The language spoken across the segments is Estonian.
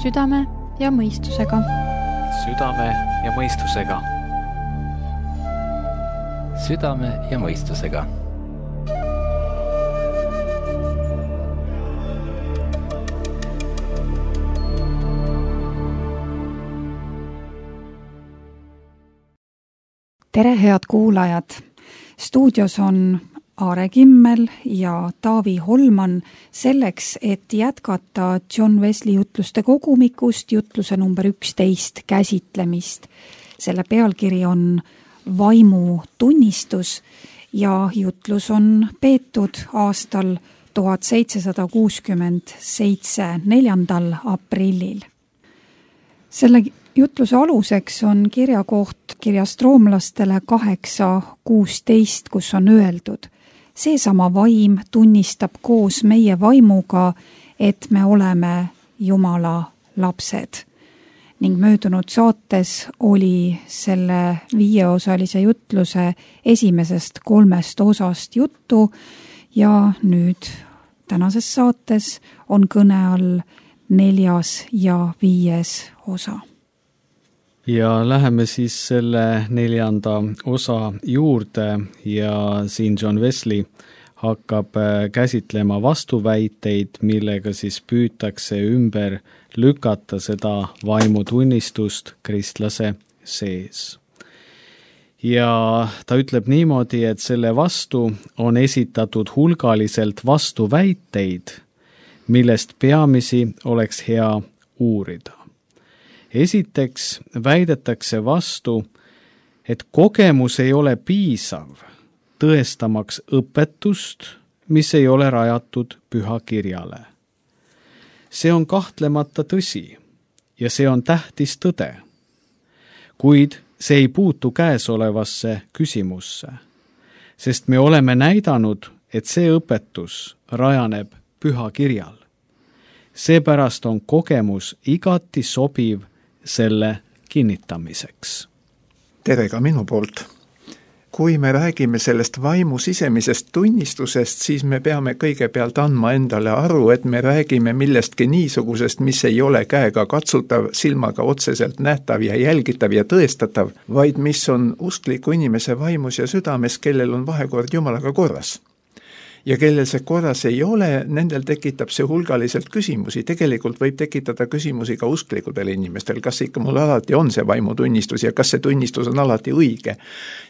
Südame ja mõistusega. Südame ja mõistusega. Südame ja mõistusega. Tere, head kuulajad! Stuudios on Aare Kimmel ja Taavi Holman selleks, et jätkata John Wesley jutluste kogumikust jutluse number 11 käsitlemist. Selle pealkiri on Vaimu tunnistus ja jutlus on peetud aastal 1767, 4. aprillil. Selle jutluse aluseks on kirjakoht kirjast roomlastele 8:16, kus on öeldud: seesama vaim tunnistab koos meie vaimuga, et me oleme Jumala lapsed. Ning möödunud saates oli selle 5-osalise jutluse esimesest 3 osast juttu ja nüüd tänases saates on kõne all 4. ja 5. osa. Ja läheme siis selle 4. osa juurde ja siin John Wesley hakkab käsitlema vastuväiteid, millega siis püütakse ümber lükata seda vaimutunnistust kristlase sees. Ja ta ütleb niimoodi, et selle vastu on esitatud hulgaliselt vastuväiteid, millest peamisi oleks hea uurida. Esiteks väidetakse vastu, et kogemus ei ole piisav tõestamaks õpetust, mis ei ole rajatud pühakirjale. See on kahtlemata tõsi ja see on tähtis tõde, kuid see ei puutu käesolevasse küsimusse, sest me oleme näidanud, et see õpetus rajaneb pühakirjal. Seepärast on kogemus igati sobiv selle kinnitamiseks. Tere ka minu poolt. Kui me räägime sellest vaimu sisemisest tunnistusest, siis me peame kõigepealt andma endale aru, et me räägime millestki niisugusest, mis ei ole käega katsutav, silmaga otseselt nähtav ja jälgitav ja tõestatav, vaid mis on uskliku inimese vaimus ja südames, kellel on vahekord Jumalaga korras. Ja kellel see korras ei ole, nendel tekitab see hulgaliselt küsimusi. Tegelikult võib tekitada küsimusi ka usklikudel inimestel, kas ikka mul alati on see vaimutunnistus ja kas see tunnistus on alati õige.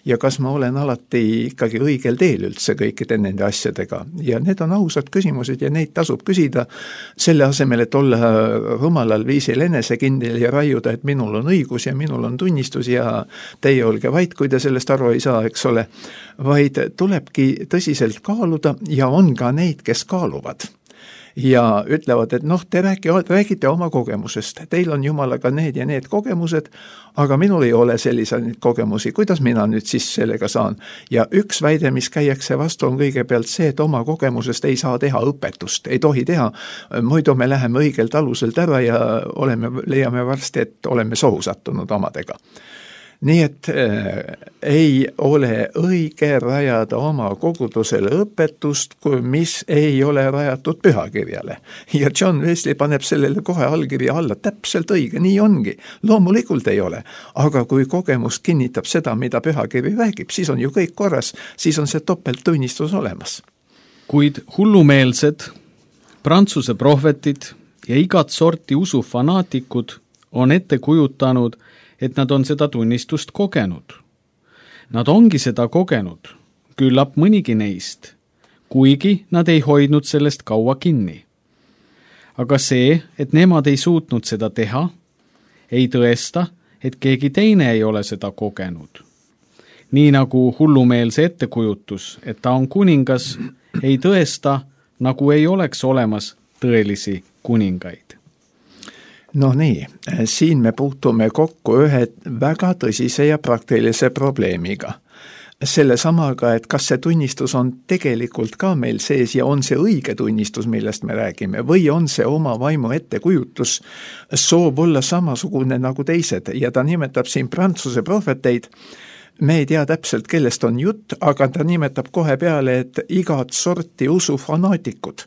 Ja kas ma olen alati ikkagi õigel teel üldse kõikide nende asjadega. Ja need on ausad küsimused ja neid tasub küsida selle asemel, et olla rumalal viisil enesekindel ja raiuda, et minul on õigus ja minul on tunnistus ja teie olge vait, kui te sellest aru ei saa, eks ole. Vaid tulebki tõsiselt kaaluda ja on ka neid, kes kaaluvad ja ütlevad, et te räägite oma kogemusest, teil on Jumalaga need ja need kogemused, aga minul ei ole selliseid kogemusi, kuidas mina nüüd siis sellega saan. Ja üks väide, mis käiakse vastu, on kõigepealt see, et oma kogemusest ei saa teha õpetust, ei tohi teha, muidu me läheme õigelt aluselt ära ja leiame varsti, et oleme sohu sattunud omadega. Nii et ei ole õige rajada oma kogudusele õpetust, mis ei ole rajatud pühakirjale. Ja John Wesley paneb sellele kohe allkirja alla, täpselt õige, nii ongi. Loomulikult ei ole, aga kui kogemus kinnitab seda, mida pühakiri räägib, siis on ju kõik korras, siis on see topelttunnistus olemas. Kuid hullumeelsed, Prantsuse prohvetid ja igat sorti usufanaatikud on ette kujutanud, et nad on seda tunnistust kogenud. Nad ongi seda kogenud, küllap mõnigi neist, kuigi nad ei hoidnud sellest kaua kinni. Aga see, et nemad ei suutnud seda teha, ei tõesta, et keegi teine ei ole seda kogenud. Nii nagu hullumeelse ettekujutus, et ta on kuningas, ei tõesta, nagu ei oleks olemas tõelisi kuningaid. No nii, siin me puutume kokku ühe väga tõsise ja praktilise probleemiga. Selle samaga, et kas see tunnistus on tegelikult ka meil sees ja on see õige tunnistus, millest me räägime, või on see oma vaimu ettekujutus, soov olla samasugune nagu teised ja ta nimetab siin Prantsuse prohveteid. Me ei tea täpselt, kellest on jutt, aga ta nimetab kohe peale, et igat sorti usufanaatikud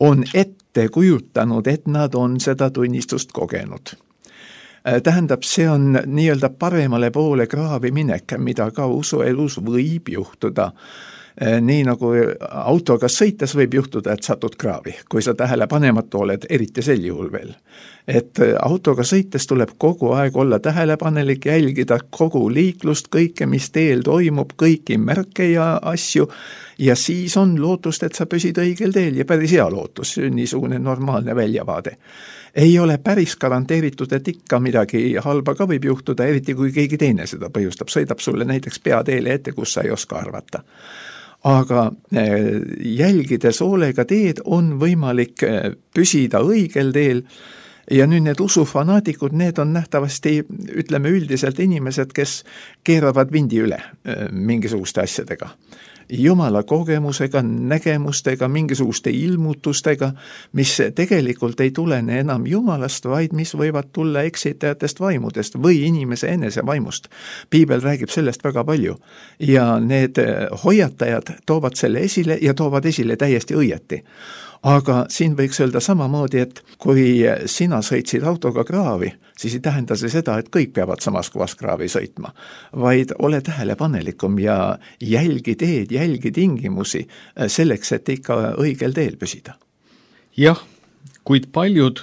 on ette ette kujutanud, et nad on seda tunnistust kogenud. Tähendab, see on nii-öelda paremale poole kraavi minek, mida ka usuelus võib juhtuda. Nii nagu autoga sõites võib juhtuda, et satud kraavi, kui sa tähelepanematu oled, eriti sel juhul veel. Et autoga sõites tuleb kogu aeg olla tähelepanelik, jälgida kogu liiklust, kõike, mis teel toimub, kõiki märke ja asju, ja siis on lootust, et sa püsid õigel teel ja päris hea lootus, niisugune normaalne väljavaade. Ei ole päris garanteeritud, et ikka midagi halba ka võib juhtuda, eriti kui keegi teine seda põhjustab, sõidab sulle näiteks peateele ette, kus sa ei oska arvata. Aga jälgides hoolega teed on võimalik püsida õigel teel ja nüüd need usufanaatikud, need on nähtavasti, ütleme üldiselt inimesed, kes keeravad vindi üle mingisuguste asjadega. Jumala kogemusega, nägemustega, mingisuguste ilmutustega, mis tegelikult ei tulene enam Jumalast, vaid mis võivad tulla eksitajatest vaimudest või inimese enese vaimust. Piibel räägib sellest väga palju ja need hoiatajad toovad selle esile ja toovad esile täiesti õieti. Aga siin võiks öelda samamoodi, et kui sina sõitsid autoga kraavi, siis ei tähenda see seda, et kõik peavad samas kohas kraavi sõitma, vaid ole tähelepanelikum ja jälgi teed, jälgi tingimusi selleks, et ikka õigel teel püsida. Jah, kuid paljud,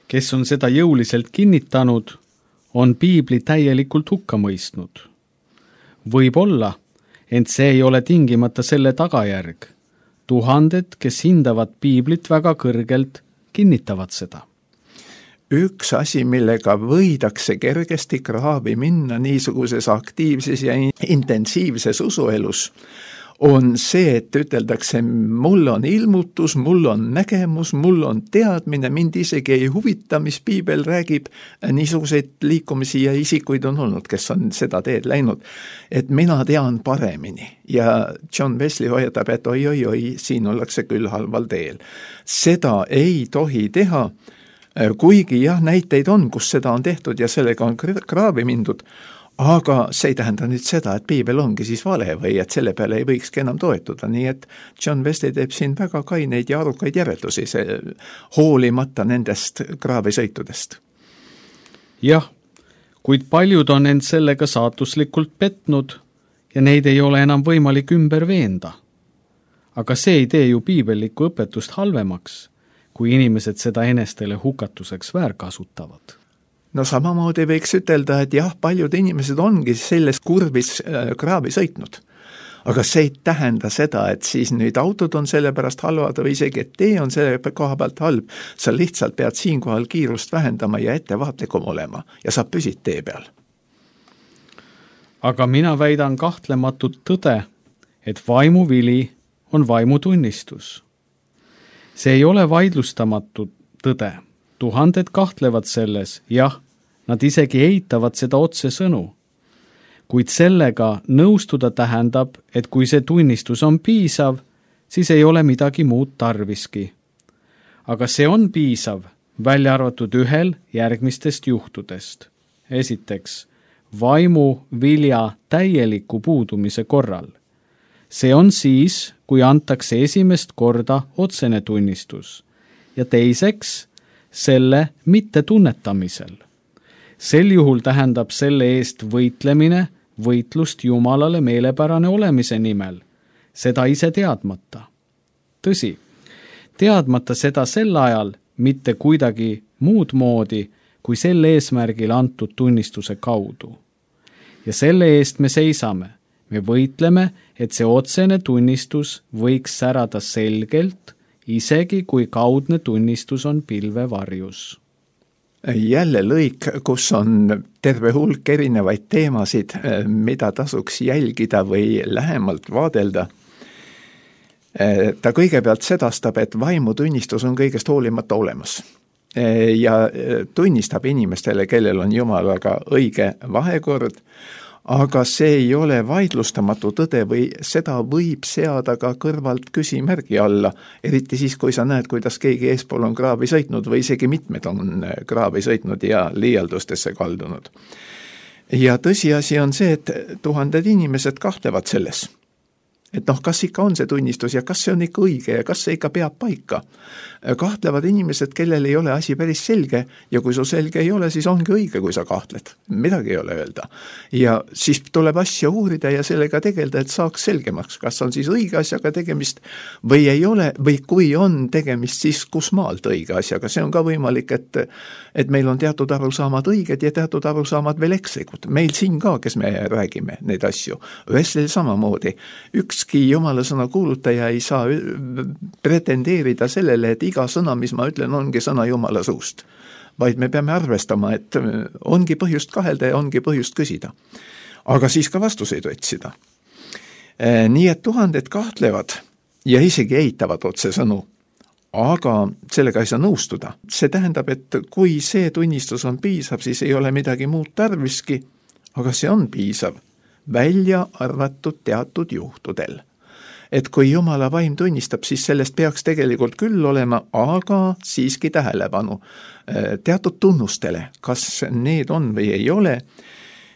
kes on seda jõuliselt kinnitanud, on piibli täielikult hukka mõistnud. Võib olla, ent see ei ole tingimata selle tagajärg. Tuhanded, kes hindavad piiblit väga kõrgelt, kinnitavad seda. Üks asi, millega võidakse kergesti kraavi minna niisuguses aktiivses ja intensiivses usuelus, on see, et üteldakse, mul on ilmutus, mul on nägemus, mul on teadmine, mind isegi ei huvita, mis piibel räägib, niisuguseid liikumisi ja isikuid on olnud, kes on seda teed läinud, et mina tean paremini. Ja John Wesley hoiatab, et oi, siin ollakse küll halval teel. Seda ei tohi teha, kuigi jah, näiteid on, kus seda on tehtud ja sellega on kraavi mindud, aga see ei tähenda nüüd seda, et piibel ongi siis vale või et selle peale ei võikski enam toetuda, nii et John Wesley teeb siin väga kaineid ja arukaid järeldusi, hoolimata nendest kraavisõitudest. Jah, kuid paljud on end sellega saatuslikult petnud ja neid ei ole enam võimalik ümber veenda. Aga see ei tee ju piibellikku õpetust halvemaks, kui inimesed seda enestele hukatuseks väärkasutavad. No samamoodi võiks ütelda, et jah, paljud inimesed ongi selles kurvis kraavi sõitnud. Aga see ei tähenda seda, et siis nüüd autod on selle pärast halvad või isegi, et tee on selle koha pealt halb. Sa lihtsalt pead siinkohal kiirust vähendama ja ettevaatlikum olema ja sa püsid tee peal. Aga mina väidan kahtlematut tõde, et vaimuvili on vaimutunnistus. See ei ole vaidlustamatu tõde. Tuhanded kahtlevad selles, jah, nad isegi eitavad seda otsesõnu. Kuid sellega nõustuda tähendab, et kui see tunnistus on piisav, siis ei ole midagi muud tarviski. Aga see on piisav, välja arvatud ühel järgmistest juhtudest. Esiteks, vaimu vilja täieliku puudumise korral. See on siis, kui antakse esimest korda otsene tunnistus. Ja teiseks, selle mittetunnetamisel. Sel juhul tähendab selle eest võitlemine, võitlust Jumalale meelepärane olemise nimel, seda ise teadmata. Tõsi, teadmata seda sel ajal mitte kuidagi muud moodi, kui selle eesmärgil antud tunnistuse kaudu. Ja selle eest me seisame. Me võitleme, et see otsene tunnistus võiks särada selgelt, isegi kui kaudne tunnistus on pilve varjus. Jälle lõik, kus on terve hulk erinevaid teemasid, mida tasuks jälgida või lähemalt vaadelda. Ta kõigepealt sedastab, et vaimutunnistus on kõigest hoolimata olemas ja tunnistab inimestele, kellel on Jumalaga õige vahekord, aga see ei ole vaidlustamatu tõde või seda võib seada ka kõrvalt küsimärgi alla, eriti siis, kui sa näed, kuidas keegi eespool on kraavi sõitnud või isegi mitmed on kraavi sõitnud ja liialdustesse kaldunud. Ja tõsiasi on see, et tuhanded inimesed kahtlevad selles. et kas ikka on see tunnistus ja kas see on ikka õige ja kas see ikka peab paika. Kahtlevad inimesed, kellel ei ole asi päris selge ja kui sul selge ei ole, siis ongi õige, kui sa kahtled. Midagi ei ole öelda. Ja siis tuleb asja uurida ja sellega tegelda, et saaks selgemaks, kas on siis õige asjaga tegemist või ei ole, või kui on tegemist, siis kus maalt õige asjaga. See on ka võimalik, et meil on teatud arusaamad õiged ja teatud arusaamad veel ekslikud. Meil siin ka, kes me räägime neid asju. Wesley samamoodi. Ükski jumala sõna kuulutaja ei saa pretendeerida sellele, et iga sõna, mis ma ütlen, ongi sõna jumala suust. Vaid me peame arvestama, et ongi põhjust kahelda ja ongi põhjust küsida. Aga siis ka vastuseid otsida. Nii et tuhanded kahtlevad ja isegi eitavad otsesõnu, aga sellega ei saa nõustuda. See tähendab, et kui see tunnistus on piisav, siis ei ole midagi muud tarviski, aga see on piisav, välja arvatud teatud juhtudel. Et kui jumala vaim tunnistab, siis sellest peaks tegelikult küll olema, aga siiski tähelepanu teatud tunnustele, kas need on või ei ole.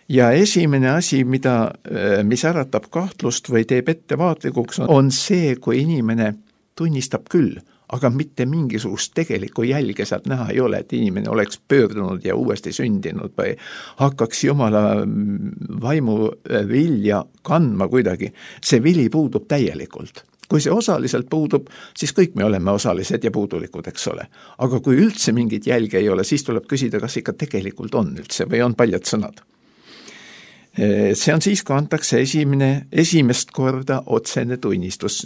Ja esimene asi, mis äratab kahtlust või teeb ettevaatlikuks, on see, kui inimene tunnistab küll, aga mitte mingisugust tegelikku jälge sealt näha ei ole, et inimene oleks pöördunud ja uuesti sündinud või hakkaks jumala vaimu vilja kandma kuidagi. See vili puudub täielikult. Kui see osaliselt puudub, siis kõik me oleme osalised ja puudulikud, eks ole. Aga kui üldse mingit jälge ei ole, siis tuleb küsida, kas ikka tegelikult on üldse või on paljad sõnad. See on siis, kui antakse esimest korda otsene tunnistus.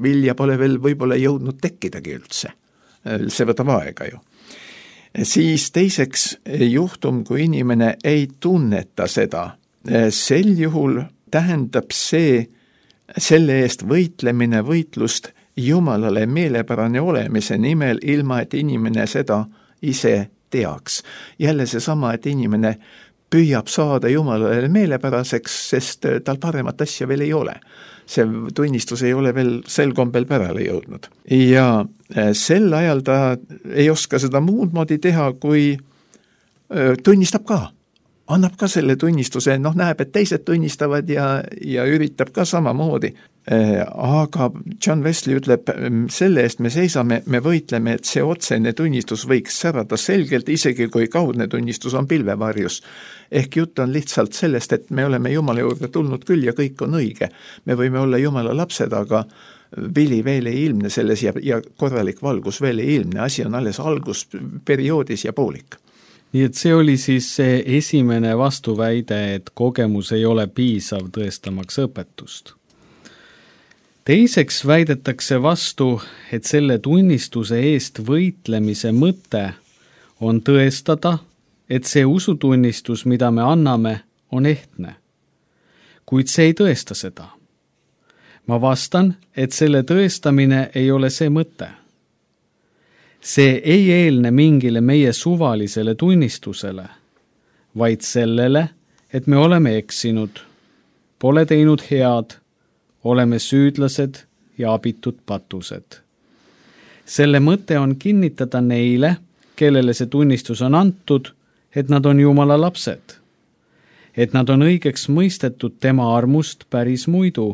Vilja pole veel võib-olla jõudnud tekkidagi üldse. See võtab aega ju. Siis teiseks juhtum, kui inimene ei tunneta seda. Sel juhul tähendab selle eest võitlemine võitlust Jumalale meelepärane olemise nimel, ilma et inimene seda ise teaks. Jälle see sama, et inimene püüab saada Jumalale meelepäraseks, sest tal paremat asja veel ei ole. See tunnistus ei ole veel sel kombel pärale jõudnud. Ja sel ajal ta ei oska seda muud moodi teha, kui tunnistab ka. Annab ka selle tunnistuse, näeb, et teised tunnistavad ja üritab ka samamoodi. Aga John Wesley ütleb, selle eest me seisame, me võitleme, et see otsene tunnistus võiks särada selgelt, isegi kui kaudne tunnistus on pilvevarjus. Ehk jutt on lihtsalt sellest, et me oleme Jumala juurde tulnud küll ja kõik on õige. Me võime olla Jumala lapsed, aga vili veel ei ilmne selles ja korralik valgus veel ei ilmne. Asi on alles algusperioodis ja poolik. Nii et see oli siis see esimene vastuväide, et kogemus ei ole piisav tõestamaks õpetust. Teiseks väidetakse vastu, et selle tunnistuse eest võitlemise mõte on tõestada, et see usutunnistus, mida me anname, on ehtne. Kuid see ei tõesta seda. Ma vastan, et selle tõestamine ei ole see mõte. See ei eelne mingile meie suvalisele tunnistusele, vaid sellele, et me oleme eksinud, pole teinud head, oleme süüdlased ja abitud patused. Selle mõte on kinnitada neile, kellele see tunnistus on antud, et nad on Jumala lapsed, et nad on õigeks mõistetud tema armust päris muidu,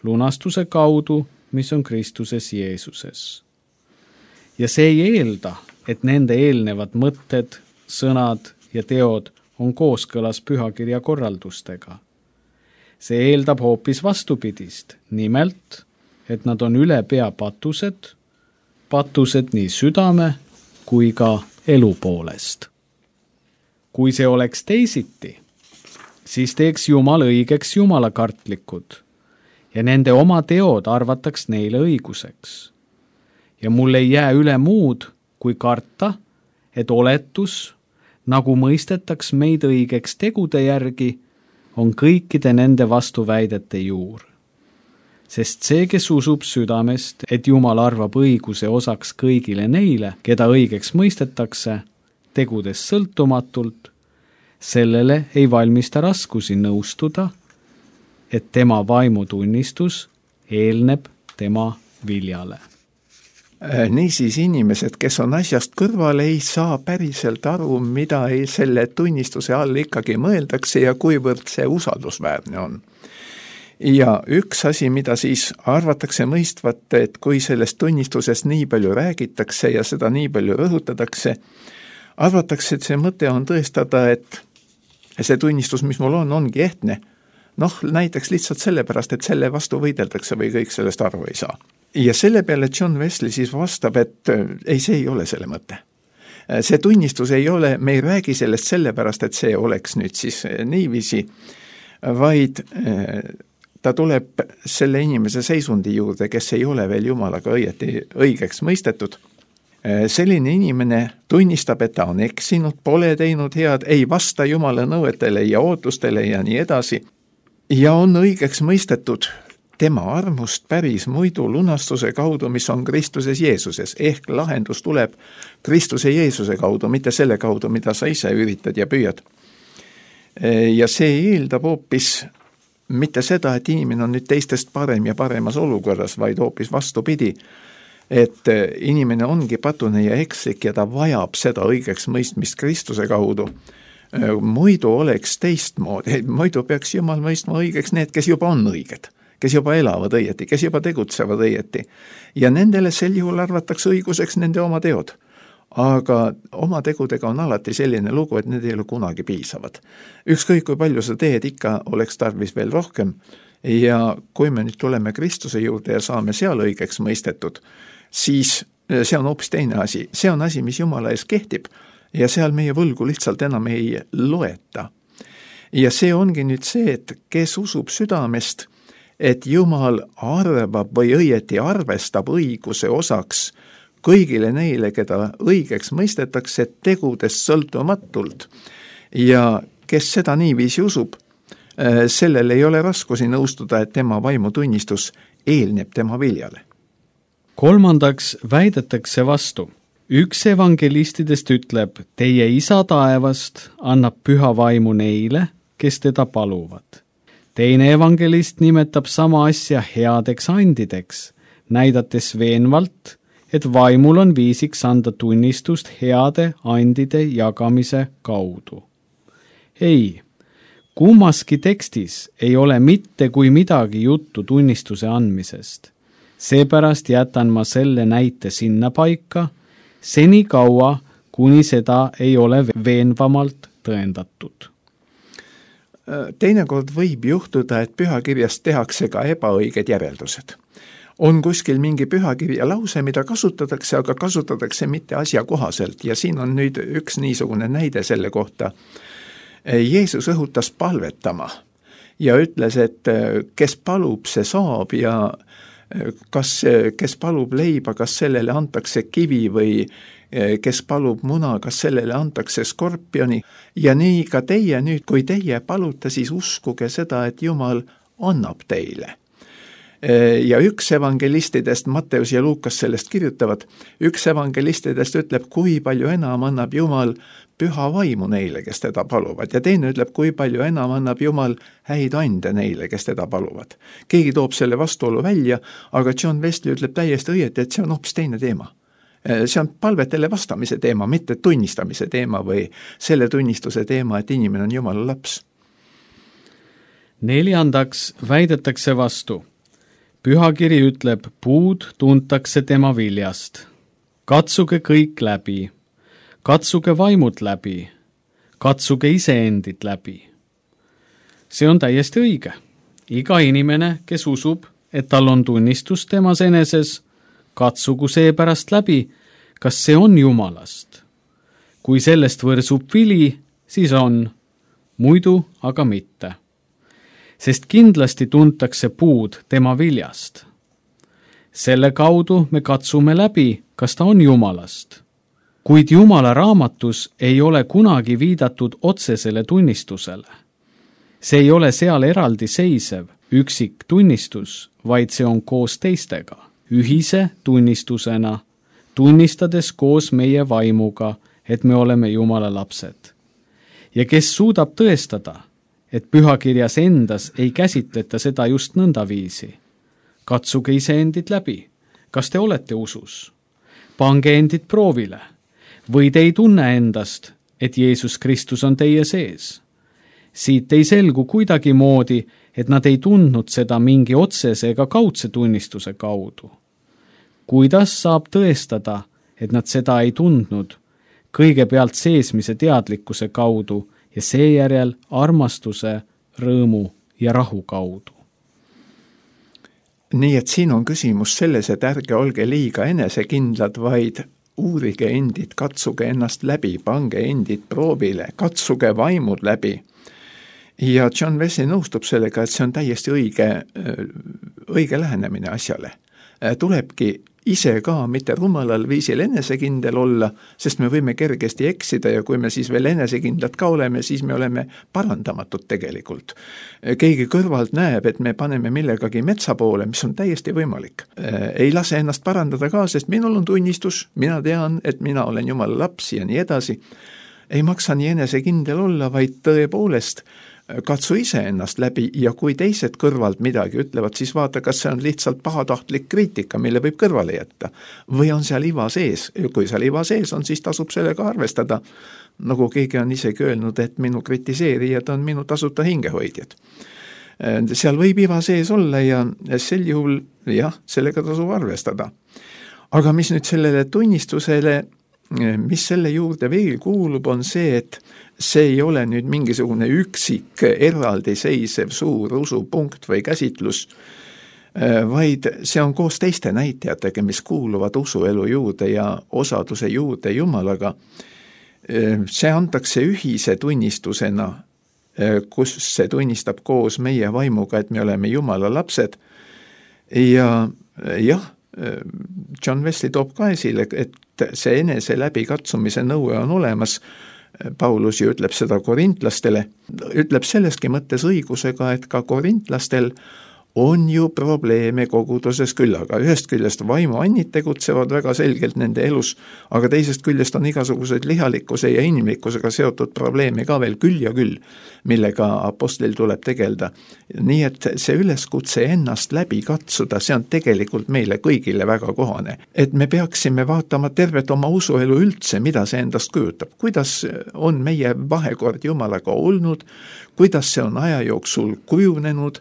lunastuse kaudu, mis on Kristuses Jeesuses. Ja see ei eelda, et nende eelnevad mõtted, sõnad ja teod on kooskõlas pühakirja korraldustega. See eeldab hoopis vastupidist, nimelt, et nad on üle pea patused nii südame kui ka elu poolest. Kui see oleks teisiti, siis teeks Jumal õigeks jumalakartlikud ja nende oma teod arvataks neile õiguseks. Ja mul ei jää üle muud, kui karta, et oletus, nagu mõistetaks meid õigeks tegude järgi, on kõikide nende vastuväidete juur. Sest see, kes usub südamest, et Jumal arvab õiguse osaks kõigile neile, keda õigeks mõistetakse, tegudes sõltumatult, sellele ei valmista raskusi nõustuda, et tema vaimutunnistus eelneb tema viljale. Niisiis inimesed, kes on asjast kõrval, ei saa päriselt aru, mida selle tunnistuse all ikkagi mõeldakse ja kuivõrd see usaldusväärne on. ja üks asi, mida siis arvatakse mõistvat, et kui sellest tunnistusest nii palju räägitakse ja seda nii palju rõhutatakse, arvatakse, et see mõte on tõestada, et see tunnistus, mis mul ongi ehtne. Näiteks lihtsalt sellepärast, et selle vastu võideldakse või kõik sellest aru ei saa. Ja selle peale John Wesley siis vastab, et ei, see ei ole selle mõte. See tunnistus ei ole, me ei räägi sellest sellepärast, et see oleks nüüd siis niiviisi, vaid ta tuleb selle inimese seisundi juurde, kes ei ole veel Jumalaga õigeks mõistetud. Selline inimene tunnistab, et ta on eksinud, pole teinud head, ei vasta Jumala nõuetele ja ootustele ja nii edasi, ja on õigeks mõistetud tema armust päris muidu lunastuse kaudu, mis on Kristuses Jeesuses, ehk lahendus tuleb Kristuse Jeesuse kaudu, mitte selle kaudu, mida sa ise üritad ja püüad. Ja see eeldab hoopis mitte seda, et inimene on nüüd teistest parem ja paremas olukorras, vaid hoopis vastupidi, et inimene ongi patune ja ekslik ja ta vajab seda õigeks mõistmist Kristuse kaudu. Muidu oleks teistmoodi, muidu peaks Jumal mõistma õigeks need, kes juba on õiged, kes juba elavad õieti, kes juba tegutsevad õieti. Ja nendele sel juhul arvatakse õiguseks nende oma teod. Aga oma tegudega on alati selline lugu, et need ei ole kunagi piisavad. Ükskõik kui palju sa teed, ikka oleks tarvis veel rohkem. Ja kui me nüüd tuleme Kristuse juurde ja saame seal õigeks mõistetud, siis see on hoopis teine asi. See on asi, mis Jumala ees kehtib ja seal meie võlgu lihtsalt enam ei loeta. Ja see ongi nüüd see, et kes usub südamest, et Jumal arvab või õieti arvestab õiguse osaks kõigile neile, keda õigeks mõistetakse tegudest sõltumatult. Ja kes seda niiviisi usub, sellel ei ole raskusi nõustuda, et tema vaimutunnistus eelneb tema viljale. Kolmandaks väidetakse vastu. Üks evangelistidest ütleb, teie isa taevast annab püha vaimu neile, kes teda paluvad. Teine evangelist nimetab sama asja headeks andideks, näidates veenvalt, et vaimul on viisiks anda tunnistust heade andide jagamise kaudu. Ei, kummaski tekstis ei ole mitte kui midagi juttu tunnistuse andmisest. Seepärast jätan ma selle näite sinna paika, seni kaua, kuni seda ei ole veenvamalt tõendatud. Teinekord võib juhtuda, et pühakirjast tehakse ka ebaõiged järeldused. On kuskil mingi pühakirja lause, mida kasutatakse, aga kasutatakse mitte asjakohaselt ja siin on nüüd üks niisugune näide selle kohta. Jeesus õhutas palvetama ja ütles, et kes palub, see saab ja kes palub leiba, kas sellele antakse kivi või kes palub muna, kas sellele antakse skorpioni ja nii ka teie nüüd, kui teie palute, siis uskuge seda, et Jumal annab teile. Ja üks evangelistidest, Matteus ja Luukas sellest kirjutavad, üks evangelistidest ütleb, kui palju enam annab Jumal püha vaimu neile, kes teda paluvad, ja teine ütleb, kui palju enam annab Jumal häid ande neile, kes teda paluvad. Keegi toob selle vastuolu välja, aga John Wesley ütleb täiesti õieti, et see on hoopis teine teema. See on palvetele vastamise teema, mitte tunnistamise teema või selle tunnistuse teema, et inimene on Jumala laps. Neljandaks väidetakse vastu. Pühakiri ütleb, puud tuntakse tema viljast. Katsuge kõik läbi. Katsuge vaimud läbi. Katsuge iseendid läbi. See on täiesti õige. Iga inimene, kes usub, et tal on tunnistus temas eneses, katsugu seepärast läbi, kas see on Jumalast. Kui sellest võrsub vili, siis on, muidu aga mitte. Sest kindlasti tuntakse puud tema viljast. Selle kaudu me katsume läbi, kas ta on Jumalast. Kuid Jumala raamatus ei ole kunagi viidatud otsesele tunnistusele. See ei ole seal eraldi seisev, üksik tunnistus, vaid see on koos teistega, ühise tunnistusena, tunnistades koos meie vaimuga, et me oleme Jumala lapsed. Ja kes suudab tõestada, et pühakirjas endas ei käsitleta seda just nõndaviisi. Katsuge iseendid läbi. Kas te olete usus? Pange endid proovile. Või te ei tunne endast, et Jeesus Kristus on teie sees? Siit ei selgu kuidagi moodi, et nad ei tundnud seda mingi otsese ega kaudse tunnistuse kaudu. Kuidas saab tõestada, et nad seda ei tundnud? Kõigepealt seesmise teadlikkuse kaudu ja seejärel armastuse, rõõmu ja rahu kaudu. Nii et siin on küsimus selles, et ärge olge liiga enesekindlad, vaid uurige endid, katsuge ennast läbi, pange endid proovile, katsuge vaimud läbi. Ja John Wesley nõustub sellega, et see on täiesti õige lähenemine asjale. Tulebki ise ka mitte rumalal viisil enesekindel olla, sest me võime kergesti eksida ja kui me siis veel enesekindlad ka oleme, siis me oleme parandamatud tegelikult. Keegi kõrvalt näeb, et me paneme millegagi metsa poole, mis on täiesti võimalik. Ei lase ennast parandada ka, sest minul on tunnistus, mina tean, et mina olen Jumala laps ja nii edasi. Ei maksa nii enesekindel olla, vaid tõepoolest katsu ise ennast läbi ja kui teised kõrvalt midagi ütlevad, siis vaata, kas see on lihtsalt pahatahtlik kriitika, mille võib kõrvale jätta. Või on seal iva sees. Kui seal iva sees on, siis tasub sellega arvestada. Nagu keegi on isegi öelnud, et minu kritiseerijad on minu tasuta hingehoidjad. Seal võib iva sees olla ja sel juhul, sellega tasub arvestada. Aga mis nüüd sellele tunnistusele, mis selle juurde veel kuulub, on see, et see ei ole nüüd mingisugune üksik eraldiseisev suur usupunkt või käsitlus, vaid see on koos teiste näitajatega, mis kuuluvad usuelu juurde ja osaduse juurde Jumalaga. See antakse ühise tunnistusena, kus see tunnistab koos meie vaimuga, et me oleme Jumala lapsed. Ja John Wesley toob ka esile, et see enese läbikatsumise nõue on olemas. Paulus ju ütleb seda korintlastele, ütleb selleski mõttes õigusega, et ka korintlastel on ju probleeme koguduses küll, aga ühest küljest vaimuannid tegutsevad väga selgelt nende elus, aga teisest küljest on igasugused lihalikkuse ja inimlikkusega seotud probleeme ka veel küll ja küll, millega apostlil tuleb tegelda. Nii et see üleskutse ennast läbi katsuda, see on tegelikult meile kõigile väga kohane. Et me peaksime vaatama tervet oma usuelu üldse, mida see endast kujutab, kuidas on meie vahekord Jumalaga olnud, kuidas see on aja jooksul kujunenud,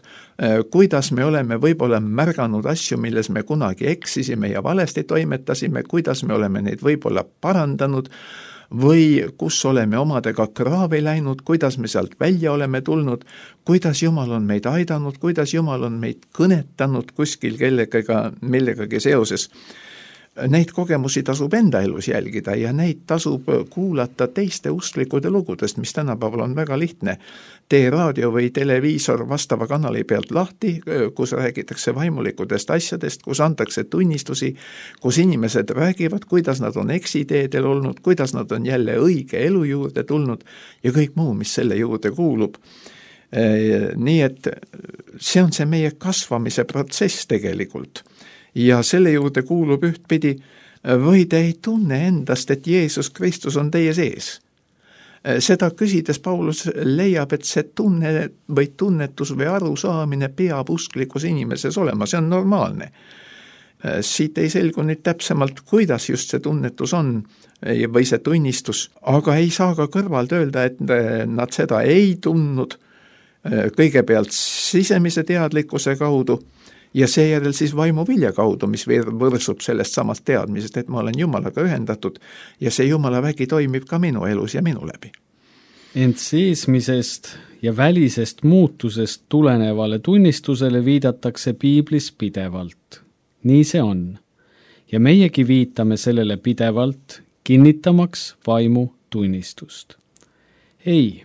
kuidas me oleme võib-olla märganud asju, milles me kunagi eksisime ja valesti toimetasime, kuidas me oleme neid võib-olla parandanud või kus oleme omadega kraavi läinud, kuidas me sealt välja oleme tulnud, kuidas Jumal on meid aidanud, kuidas Jumal on meid kõnetanud kuskil millegagi seoses. Neid kogemusi tasub enda elus jälgida ja neid tasub kuulata teiste usklikude lugudest, mis tänapäeval on väga lihtne. Tee raadio või televiisor vastava kanali pealt lahti, kus räägitakse vaimulikudest asjadest, kus antakse tunnistusi, kus inimesed räägivad, kuidas nad on eksiteedel olnud, kuidas nad on jälle õige elu juurde tulnud ja kõik muu, mis selle juurde kuulub. Nii et see on see meie kasvamise protsess tegelikult. Ja selle juurde kuulub ühtpidi, või te ei tunne endast, et Jeesus Kristus on teie sees. Seda küsides Paulus leiab, et see tunne või tunnetus või arusaamine peab usklikus inimeses olema, see on normaalne. Siit ei selgu nüüd täpsemalt, kuidas just see tunnetus on või see tunnistus, aga ei saa ka kõrvalt öelda, et nad seda ei tundnud kõigepealt sisemise teadlikkuse kaudu, ja seejärel siis vaimu vilja kaudu, mis võrsub sellest samast teadmisest, et ma olen Jumalaga ühendatud ja see Jumala vägi toimib ka minu elus ja minu läbi. Ent seesmisest ja välisest muutusest tulenevale tunnistusele viidatakse Piiblis pidevalt. Nii see on. Ja meiegi viitame sellele pidevalt, kinnitamaks vaimu tunnistust. Ei,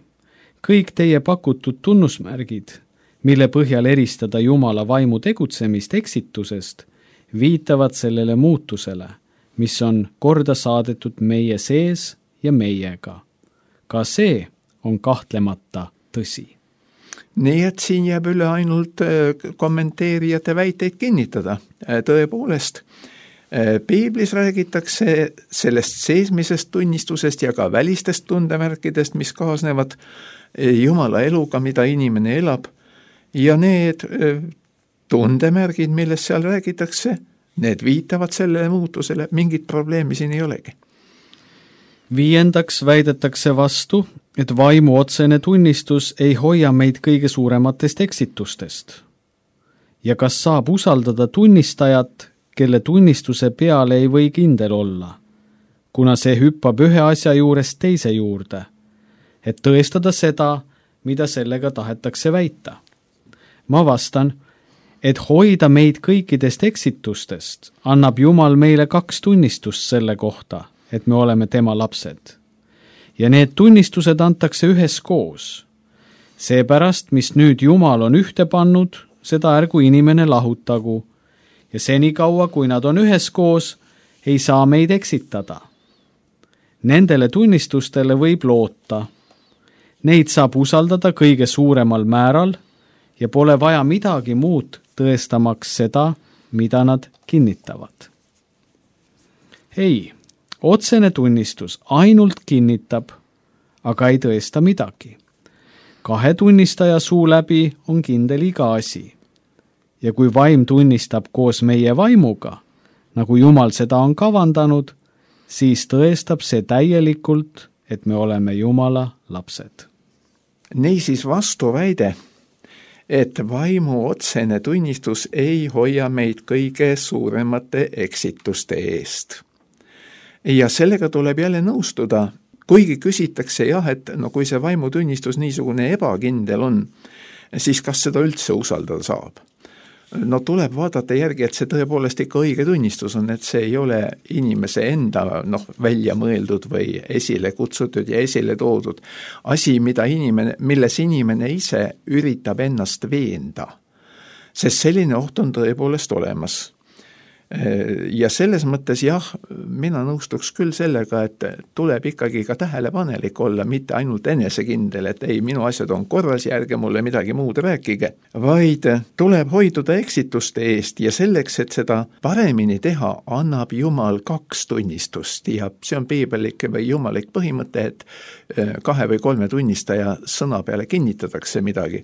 kõik teie pakutud tunnusmärgid, mille põhjal eristada Jumala vaimu tegutsemist eksitusest, viitavad sellele muutusele, mis on korda saadetud meie sees ja meiega. Ka see on kahtlemata tõsi. Nii et siin jääb üle ainult kommenteerijate väiteid kinnitada. Tõepoolest, Piiblis räägitakse sellest seesmisest tunnistusest ja ka välistest tundemärkidest, mis kaasnevad Jumala eluga, mida inimene elab, ja need tundemärgid, millest seal räägitakse, need viitavad sellele muutusele, mingit probleemi siin ei olegi. 5. väidetakse vastu, et vaimu otsene tunnistus ei hoia meid kõige suurematest eksitustest. Ja kas saab usaldada tunnistajat, kelle tunnistuse peale ei või kindel olla, kuna see hüppab ühe asja juurest teise juurde, et tõestada seda, mida sellega tahetakse väita. Ma vastan, et hoida meid kõikidest eksitustest annab Jumal meile 2 tunnistust selle kohta, et me oleme tema lapsed. Ja need tunnistused antakse üheskoos. Seepärast, mis nüüd Jumal on ühte pannud, seda ärgu inimene lahutagu, ja senikaua, kui nad on üheskoos, ei saa meid eksitada. Nendele tunnistustele võib loota. Neid saab usaldada kõige suuremal määral ja pole vaja midagi muud tõestamaks seda, mida nad kinnitavad. Ei, otsene tunnistus ainult kinnitab, aga ei tõesta midagi. 2 tunnistaja suu läbi on kindel iga asi. Ja kui vaim tunnistab koos meie vaimuga, nagu Jumal seda on kavandanud, siis tõestab see täielikult, et me oleme Jumala lapsed. Niisiis vastuväide, et vaimu otsene tunnistus ei hoia meid kõige suuremate eksituste eest. Ja sellega tuleb jälle nõustuda, kuigi küsitakse jah, et no kui see vaimutunnistus niisugune ebakindel on, siis kas seda üldse usaldada saab? No tuleb vaadata järgi, et see tõepoolest ikka õige tunnistus on, et see ei ole inimese enda välja mõeldud või esile kutsutud ja esile toodud asi, milles inimene ise üritab ennast veenda. Sest selline oht on tõepoolest olemas. Ja selles mõttes jah, mina nõustuks küll sellega, et tuleb ikkagi ka tähelepanelik olla, mitte ainult enesekindel, et ei, minu asjad on korras ja ärge mulle midagi muud rääkige, vaid tuleb hoiduda eksituste eest ja selleks, et seda paremini teha, annab Jumal 2 tunnistust ja see on piiblik või jumalik põhimõte, et 2 või 3 tunnistaja sõna peale kinnitatakse midagi.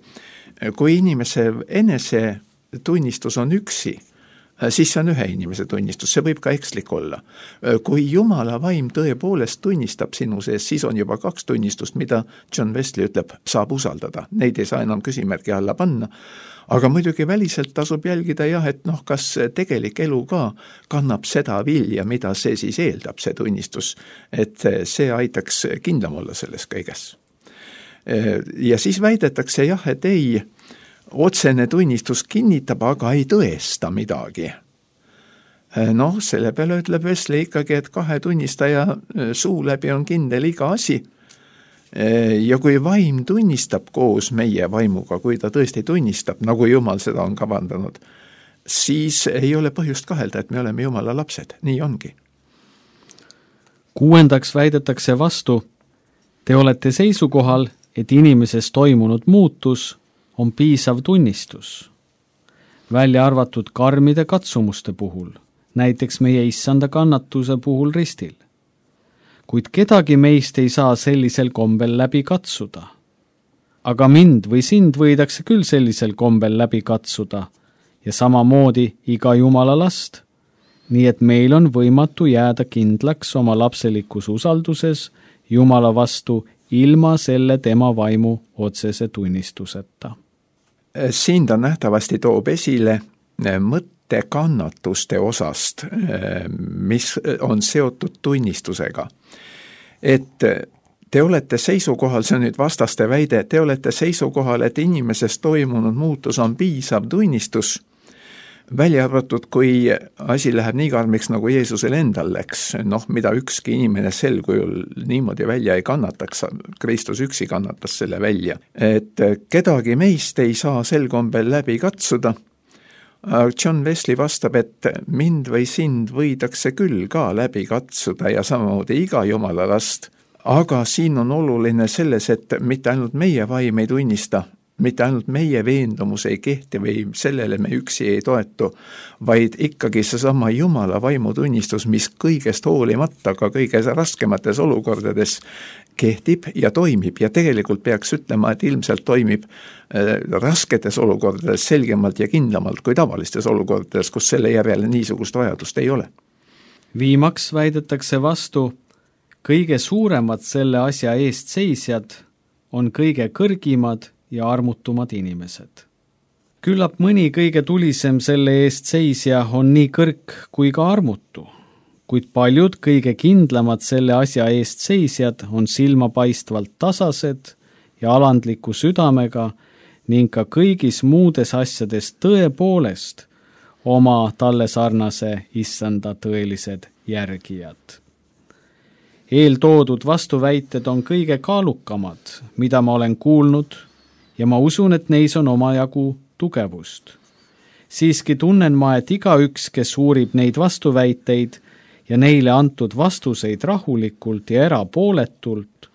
Kui inimese enese tunnistus on üksi, siis see on ühe inimese tunnistus, see võib ka ekslik olla. Kui Jumala vaim tõepoolest tunnistab sinu sees, siis on juba 2 tunnistust, mida John Wesley ütleb, saab usaldada. Neid ei saa enam küsimärgi alla panna. Aga muidugi väliselt tasub jälgida jah, et kas tegelik elu ka kannab seda vilja, mida see siis eeldab, see tunnistus, et see aitaks kindlam olla selles kõiges. Ja siis väidetakse jah, et ei, otsene tunnistus kinnitab, aga ei tõesta midagi. Selle peale ütleb Wesley ikkagi, et 2 tunnistaja suu läbi on kindel iga asi. Ja kui vaim tunnistab koos meie vaimuga, kui ta tõesti tunnistab, nagu Jumal seda on kavandanud, siis ei ole põhjust kahelda, et me oleme Jumala lapsed. Nii ongi. 6. väidetakse vastu, te olete seisukohal, et inimeses toimunud muutus on piisav tunnistus, välja arvatud karmide katsumuste puhul, näiteks meie issanda kannatuse puhul ristil. Kuid kedagi meist ei saa sellisel kombel läbi katsuda. Aga mind või sind võidakse küll sellisel kombel läbi katsuda ja samamoodi iga Jumala last, nii et meil on võimatu jääda kindlaks oma lapselikus usalduses Jumala vastu ilma selle tema vaimu otsese tunnistuseta. Siin ta nähtavasti toob esile mõtte kannatuste osast, mis on seotud tunnistusega. Et te olete seisukohal, see on nüüd vastaste väide, te olete seisukohal, et inimeses toimunud muutus on piisav tunnistus, välja arvatud, kui asi läheb nii karmiks, nagu Jeesusel endal läks, mida ükski inimene sel kujul niimoodi välja ei kannataks, Kristus üksi kannatas selle välja. Et kedagi meist ei saa sel kombel läbi katsuda. John Wesley vastab, et mind või sind võidakse küll ka läbi katsuda ja samamoodi iga Jumala last, aga siin on oluline selles, et mitte ainult meie vaim ei tunnista, mitte ainult meie veendumus ei kehti või sellele me üksi ei toetu, vaid ikkagi seesama Jumala vaimutunnistus, mis kõigest hoolimata ka kõige raskemates olukordades kehtib ja toimib ja tegelikult peaks ütlema, et ilmselt toimib rasketes olukordades selgemalt ja kindlamalt kui tavalistes olukordades, kus selle järele niisugust vajadust ei ole. Viimaks väidetakse vastu, kõige suuremad selle asja eest seisjad on kõige kõrgimad ja armutumad inimesed. Küllap mõni kõige tulisem selle eest seisja on nii kõrg kui ka armutu, kuid paljud kõige kindlamad selle asja eest seisjad on silmapaistvalt tasased ja alandliku südamega ning ka kõigis muudes asjades tõepoolest oma talle sarnase issanda tõelised järgijad. Eeltoodud vastuväited on kõige kaalukamad, mida ma olen kuulnud, ja ma usun, et neis on omajagu tugevust. Siiski tunnen ma, et igaüks, kes uurib neid vastuväiteid ja neile antud vastuseid rahulikult ja erapooletult,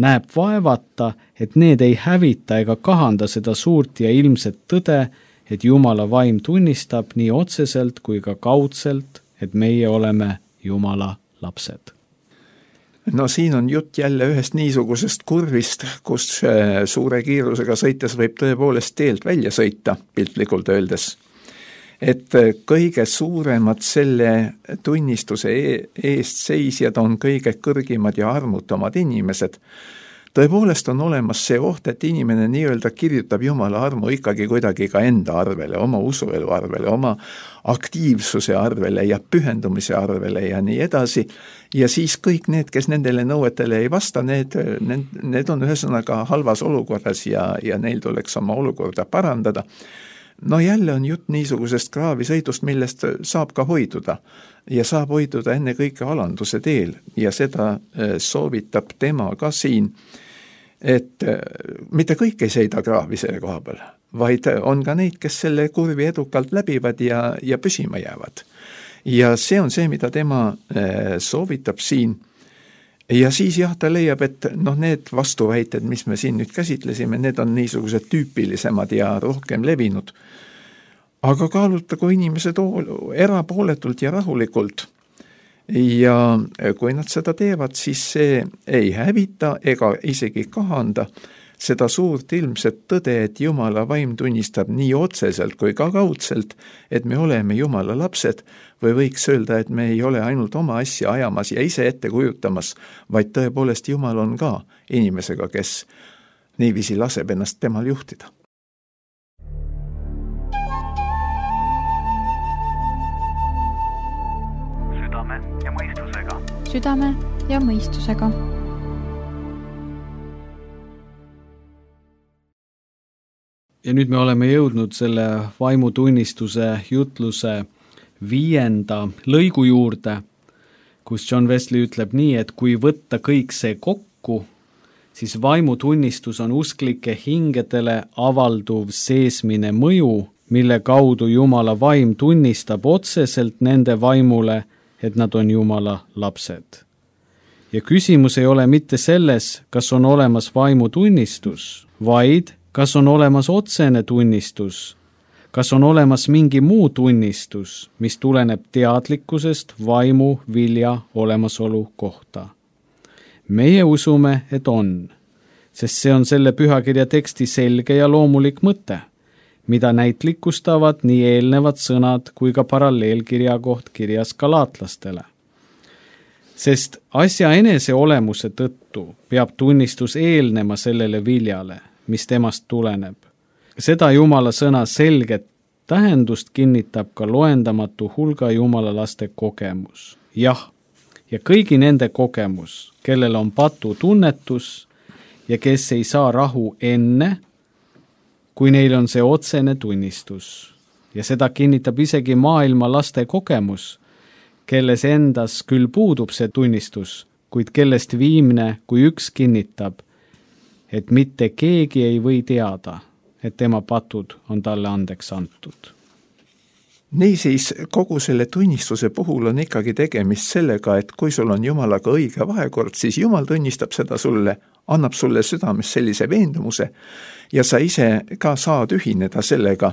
näeb vaevata, et need ei hävita ega kahanda seda suurt ja ilmset tõde, et Jumala vaim tunnistab nii otseselt kui ka kaudselt, et meie oleme Jumala lapsed. No siin on jutt jälle ühest niisugusest kurvist, kus suure kiirusega sõites võib tõepoolest teelt välja sõita, piltlikult öeldes. Et kõige suuremad selle tunnistuse eest seisjad on kõige kõrgimad ja armutamad inimesed. Tõepoolest on olemas see oht, et inimene nii-öelda kirjutab Jumala armu ikkagi kuidagi ka enda arvele, oma usuelu arvele, oma aktiivsuse arvele ja pühendumise arvele ja nii edasi. Ja siis kõik need, kes nendele nõuetele ei vasta, need on ühesõnaga halvas olukorras ja neil tuleks oma olukorda parandada. No jälle on jutt niisugusest kraavisõidust, millest saab ka hoiduda ja saab hoiduda enne kõike alanduse teel ja seda soovitab tema ka siin, et mitte kõik ei sõida kraavi selle koha peal, vaid on ka neid, kes selle kurvi edukalt läbivad ja püsima jäävad. Ja see on see, mida tema soovitab siin. Ja siis ta leiab, et need vastuväited, mis me siin nüüd käsitlesime, need on niisugused tüüpilisemad ja rohkem levinud. Aga kaalutagu inimesed erapooletult ja rahulikult. Ja kui nad seda teevad, siis see ei hävita ega isegi kahanda seda suurt ilmset tõde, et Jumala vaim tunnistab nii otseselt kui ka kaudselt, et me oleme Jumala lapsed, või võiks öelda, et me ei ole ainult oma asja ajamas ja ise ette kujutamas, vaid tõepoolest Jumal on ka inimesega, kes niiviisi laseb ennast temal juhtida. Südame ja mõistusega. Südame ja mõistusega. Ja nüüd me oleme jõudnud selle vaimutunnistuse jutluse 5. lõigu juurde, kus John Wesley ütleb nii, et kui võtta kõik see kokku, siis vaimutunnistus on usklike hingedele avalduv seesmine mõju, mille kaudu Jumala vaim tunnistab otseselt nende vaimule, et nad on Jumala lapsed. Ja küsimus ei ole mitte selles, kas on olemas vaimutunnistus, vaid kas on olemas otsene tunnistus, kas on olemas mingi muu tunnistus, mis tuleneb teadlikkusest vaimu vilja olemasolu kohta. Meie usume, et on, sest see on selle pühakirja teksti selge ja loomulik mõte, mida näitlikustavad nii eelnevad sõnad kui ka paralleelkirja koht kirjas galaatlastele. Sest asja enese olemuse tõttu peab tunnistus eelnema sellele viljale, mis temast tuleneb. Seda Jumala sõna selget tähendust kinnitab ka loendamatu hulga Jumala laste kogemus. Jah, ja kõigi nende kogemus, kellel on patutunnetus ja kes ei saa rahu enne, kui neil on see otsene tunnistus. Ja seda kinnitab isegi maailma laste kogemus, kelles endas küll puudub see tunnistus, kuid kellest viimne kui üks kinnitab, et mitte keegi ei või teada, et tema patud on talle andeks antud. Niisiis, kogu selle tunnistuse puhul on ikkagi tegemist sellega, et kui sul on Jumalaga õige vahekord, siis Jumal tunnistab seda sulle, annab sulle südames sellise veendumuse ja sa ise ka saad ühineda sellega.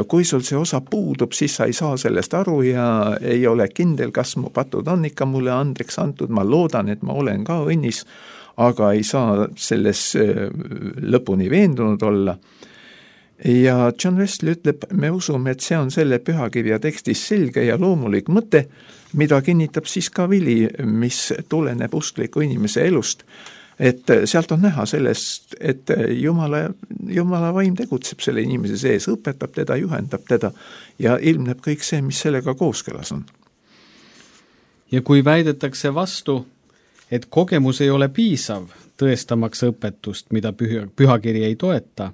Kui sul see osa puudub, siis sa ei saa sellest aru ja ei ole kindel, kas mu patud on ikka mulle andeks antud, ma loodan, et ma olen ka õnnis, aga ei saa selles lõpuni veendunud olla. ja John Wesley ütleb, me usume, et see on selle pühakirja tekstis selge ja loomulik mõte, mida kinnitab siis ka vili, mis tuleneb uskliku inimese elust. Et sealt on näha sellest, et Jumala vaim tegutseb selle inimese sees, õpetab teda, juhendab teda ja ilmneb kõik see, mis sellega kooskõlas on. Ja kui väidetakse vastu, et kogemus ei ole piisav tõestamaks õpetust, mida pühakiri ei toeta,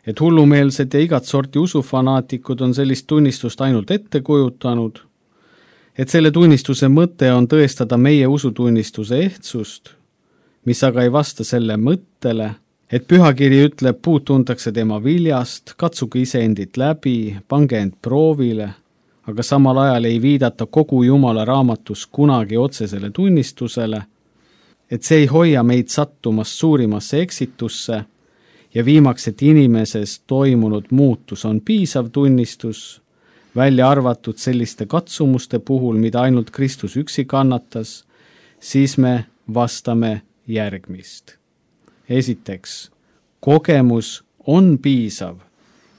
et hullumeelsed ja igat sorti usufanaatikud on sellist tunnistust ainult ette kujutanud, et selle tunnistuse mõte on tõestada meie usutunnistuse ehtsust, mis aga ei vasta selle mõttele, et pühakiri ütleb, puud tuntakse tema viljast, katsuge ise endit läbi, pange end proovile, aga samal ajal ei viidata kogu Jumala raamatus kunagi otsesele tunnistusele, et see ei hoia meid sattumast suurimasse eksitusse ja viimaks, et inimeses toimunud muutus on piisav tunnistus, välja arvatud selliste katsumuste puhul, mida ainult Kristus üksi kannatas, siis me vastame järgmist. Esiteks, kogemus on piisav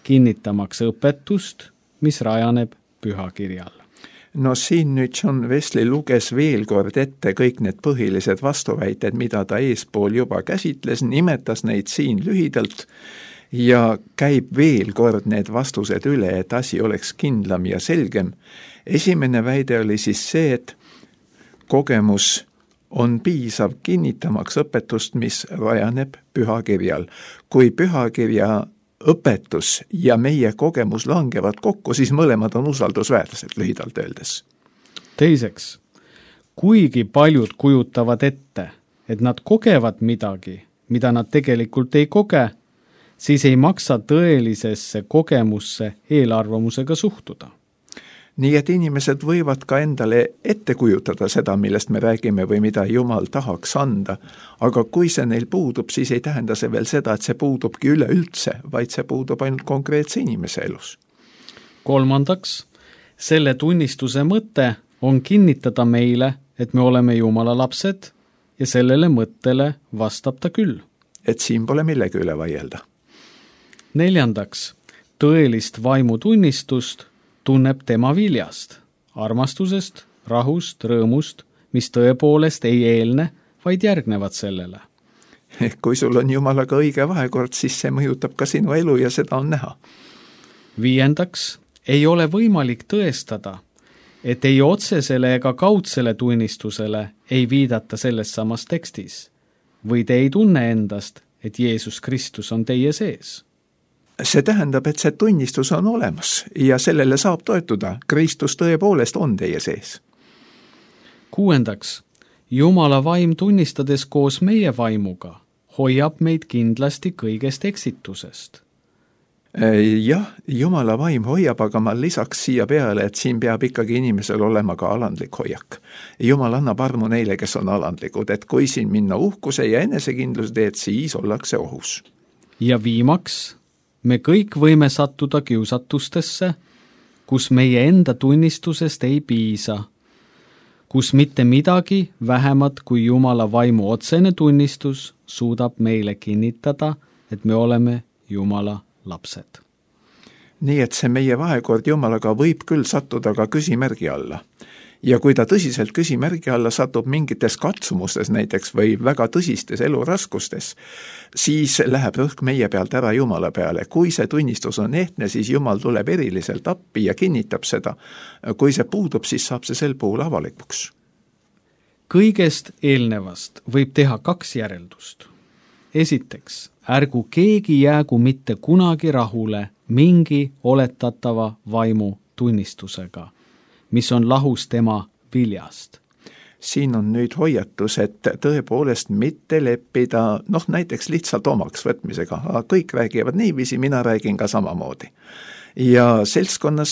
kinnitamaks õpetust, mis rajaneb pühakirjal. No siin nüüd John Wesley luges veel kord ette kõik need põhilised vastuväited, mida ta eespool juba käsitles, nimetas neid siin lühidalt ja käib veel kord need vastused üle, et asi oleks kindlam ja selgem. Esimene väide oli siis see, et kogemus on piisav kinnitamaks õpetust, mis rajaneb pühakirjal. Kui pühakirja õpetus ja meie kogemus langevad kokku, siis mõlemad on usaldusväärsed, lühidalt öeldes. Teiseks, kuigi paljud kujutavad ette, et nad kogevad midagi, mida nad tegelikult ei koge, siis ei maksa tõelisesse kogemusse eelarvamusega suhtuda. Nii et inimesed võivad ka endale ette kujutada seda, millest me räägime või mida Jumal tahaks anda, aga kui see neil puudub, siis ei tähenda see veel seda, et see puudubki üleüldse, vaid see puudub ainult konkreetse inimese elus. Kolmandaks, selle tunnistuse mõte on kinnitada meile, et me oleme Jumala lapsed ja sellele mõttele vastab ta küll. Et siin pole millegi üle vaielda. Neljandaks, tõelist vaimutunnistust tunneb tema viljast, armastusest, rahust, rõõmust, mis tõepoolest ei eelne, vaid järgnevad sellele. Kui sul on Jumalaga õige vahekord, siis see mõjutab ka sinu elu ja seda on näha. Viiendaks, ei ole võimalik tõestada, et ei otsesele ega kaudsele tunnistusele ei viidata selles samas tekstis, või te ei tunne endast, et Jeesus Kristus on teie sees. See tähendab, et see tunnistus on olemas ja sellele saab toetuda. Kristus tõepoolest on teie sees. Kuuendaks, Jumala vaim tunnistades koos meie vaimuga hoiab meid kindlasti kõigest eksitusest. Jah, Jumala vaim hoiab, aga ma lisaks siia peale, et siin peab ikkagi inimesel olema ka alandlik hoiak. Jumal annab armu neile, kes on alandlikud, et kui siin minna uhkuse ja enesekindluse teed, siis ollakse ohus. Ja viimaks, me kõik võime sattuda kiusatustesse, kus meie enda tunnistusest ei piisa, kus mitte midagi vähemat kui Jumala vaimu otsene tunnistus suudab meile kinnitada, et me oleme Jumala lapsed. Nii et see meie vahekord Jumalaga võib küll sattuda ka küsimärgi alla. Ja kui ta tõsiselt küsimärgi alla satub mingites katsumustes näiteks või väga tõsistes eluraskustes, siis läheb rõhk meie pealt ära Jumala peale. Kui see tunnistus on ehtne, siis Jumal tuleb eriliselt appi ja kinnitab seda. Kui see puudub, siis saab see sel puhul avalikuks. Kõigest eelnevast võib teha 2 järeldust. Esiteks, ärgu keegi jäägu mitte kunagi rahule mingi oletatava vaimu tunnistusega, mis on lahus tema viljast. Siin on nüüd hoiatus, et tõepoolest mitte leppida, näiteks lihtsalt omaks võtmisega. Kõik räägivad niiviisi, mina räägin ka samamoodi. Ja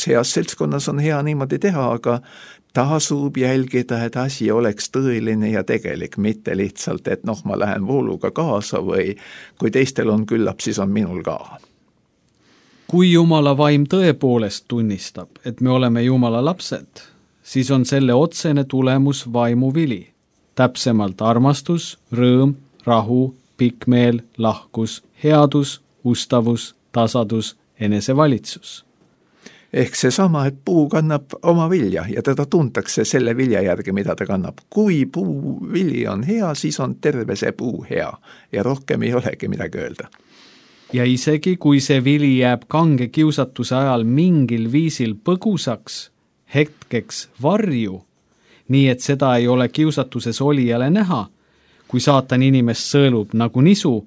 heas seltskonnas on hea niimoodi teha, aga tasub jälgida, et asi oleks tõeline ja tegelik, mitte lihtsalt, et ma lähen vooluga kaasa või kui teistel on küllap, siis on minul ka. Kui Jumala vaim tõepoolest tunnistab, et me oleme Jumala lapsed, siis on selle otsene tulemus vaimu vili. Täpsemalt armastus, rõõm, rahu, pikkmeel, lahkus, headus, ustavus, tasadus, enesevalitsus. Ehk seesama, et puu kannab oma vilja ja teda tuntakse selle vilja järgi, mida ta kannab. Kui puu vili on hea, siis on terve see puu hea ja rohkem ei olegi midagi öelda. Ja isegi kui see vili jääb kange kiusatuse ajal mingil viisil põgusaks, hetkeks varju, nii et seda ei ole kiusatuses olijale näha, kui saatan inimest sõelub nagu nisu,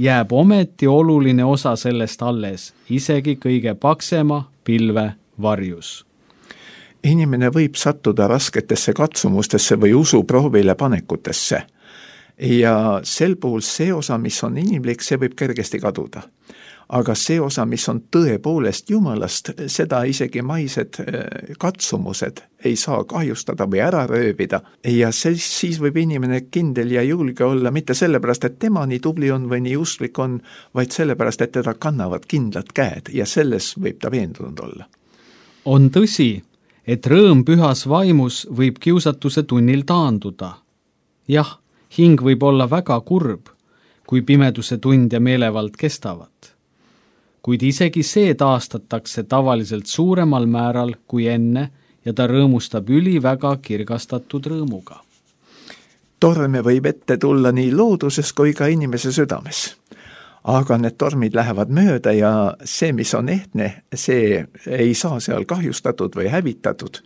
jääb ometi oluline osa sellest alles, isegi kõige paksema pilve varjus. Inimene võib sattuda rasketesse katsumustesse või usuproovile panekutesse ja sel puhul see osa, mis on inimlik, see võib kergesti kaduda. Aga see osa, mis on tõepoolest Jumalast, seda isegi maised katsumused ei saa kahjustada või ära röövida. Ja siis võib inimene kindel ja julge olla mitte sellepärast, et tema nii tubli on või nii usklik on, vaid sellepärast, et teda kannavad kindlad käed ja selles võib ta veendunud olla. On tõsi, et rõõm pühas vaimus võib kiusatuse tunnil taanduda. Jah, hing võib olla väga kurb, kui pimeduse tund ja meelevald kestavad. Kuid isegi see taastatakse tavaliselt suuremal määral kui enne ja ta rõõmustab väga kirgastatud rõõmuga. Torme võib ette tulla nii looduses kui ka inimese südames. Aga need tormid lähevad mööda ja see, mis on ehtne, see ei saa seal kahjustatud või hävitatud.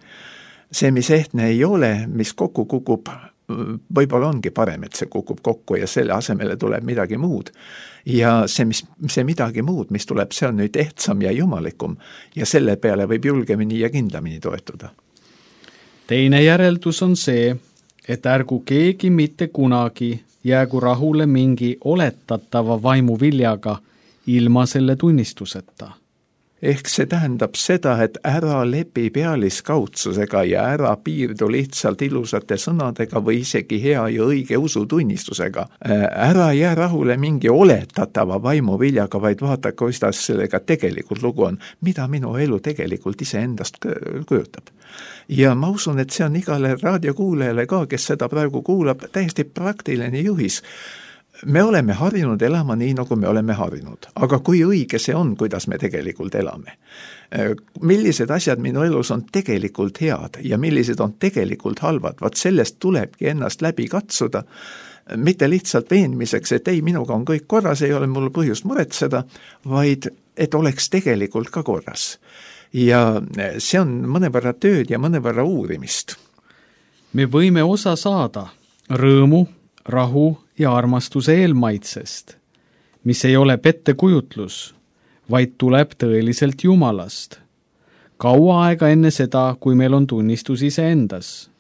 See, mis ehtne ei ole, mis kokku kukub, võib-olla ongi parem, et see kukub kokku ja selle asemele tuleb midagi muud. Ja see midagi muud, mis tuleb, see on nüüd ehtsam ja jumalikum ja selle peale võib julgemini ja kindlamini toetuda. Teine järeldus on see, et ärgu keegi mitte kunagi jäägu rahule mingi oletatava vaimu viljaga ilma selle tunnistuseta. Ehk see tähendab seda, et ära lepi pealiskaudsusega ja ära piirdu lihtsalt ilusate sõnadega või isegi hea ja õige usutunnistusega. Ära jää rahule mingi oletatava vaimu viljaga, vaid vaata, kuidas sellega tegelikult lugu on, mida minu elu tegelikult iseendast kujutab. Ja ma usun, et see on igale raadiokuulajale ka, kes seda praegu kuulab, täiesti praktiline juhis. Me oleme harjunud elama nii, nagu me oleme harjunud. Aga kui õige see on, kuidas me tegelikult elame? Millised asjad minu elus on tegelikult head ja millised on tegelikult halvad? Vaat sellest tulebki ennast läbi katsuda, mitte lihtsalt veenmiseks, et ei, minuga on kõik korras, ei ole mul põhjust muretseda, vaid et oleks tegelikult ka korras. Ja see on mõnevõrra tööd ja mõnevõrra uurimist. Me võime osa saada rõõmu, rahu ja armastuse eelmaitsest, mis ei ole pettekujutlus, vaid tuleb tõeliselt Jumalast. Kaua aega enne seda, kui meil on tunnistus iseendas.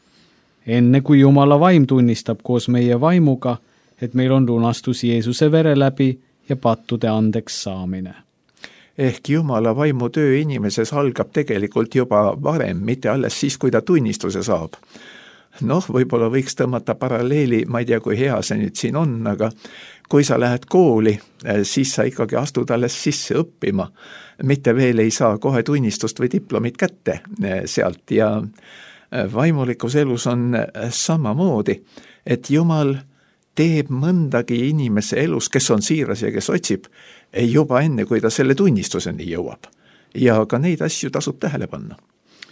Enne kui Jumala vaim tunnistab koos meie vaimuga, et meil on lunastus Jeesuse vere läbi ja pattude andeks saamine. Ehk Jumala vaimu töö inimeses algab tegelikult juba varem, mitte alles siis, kui ta tunnistuse saab. Võib-olla võiks tõmmata paralleeli, ma ei tea, kui hea see nüüd siin on, aga kui sa lähed kooli, siis sa ikkagi astud alles sisse õppima. Mitte veel ei saa kohe tunnistust või diplomit kätte sealt ja vaimulikus elus on samamoodi, et Jumal teeb mõndagi inimese elus, kes on siiras ja kes otsib, juba enne, kui ta selle tunnistuseni jõuab. Ja ka neid asju tasub tähele panna.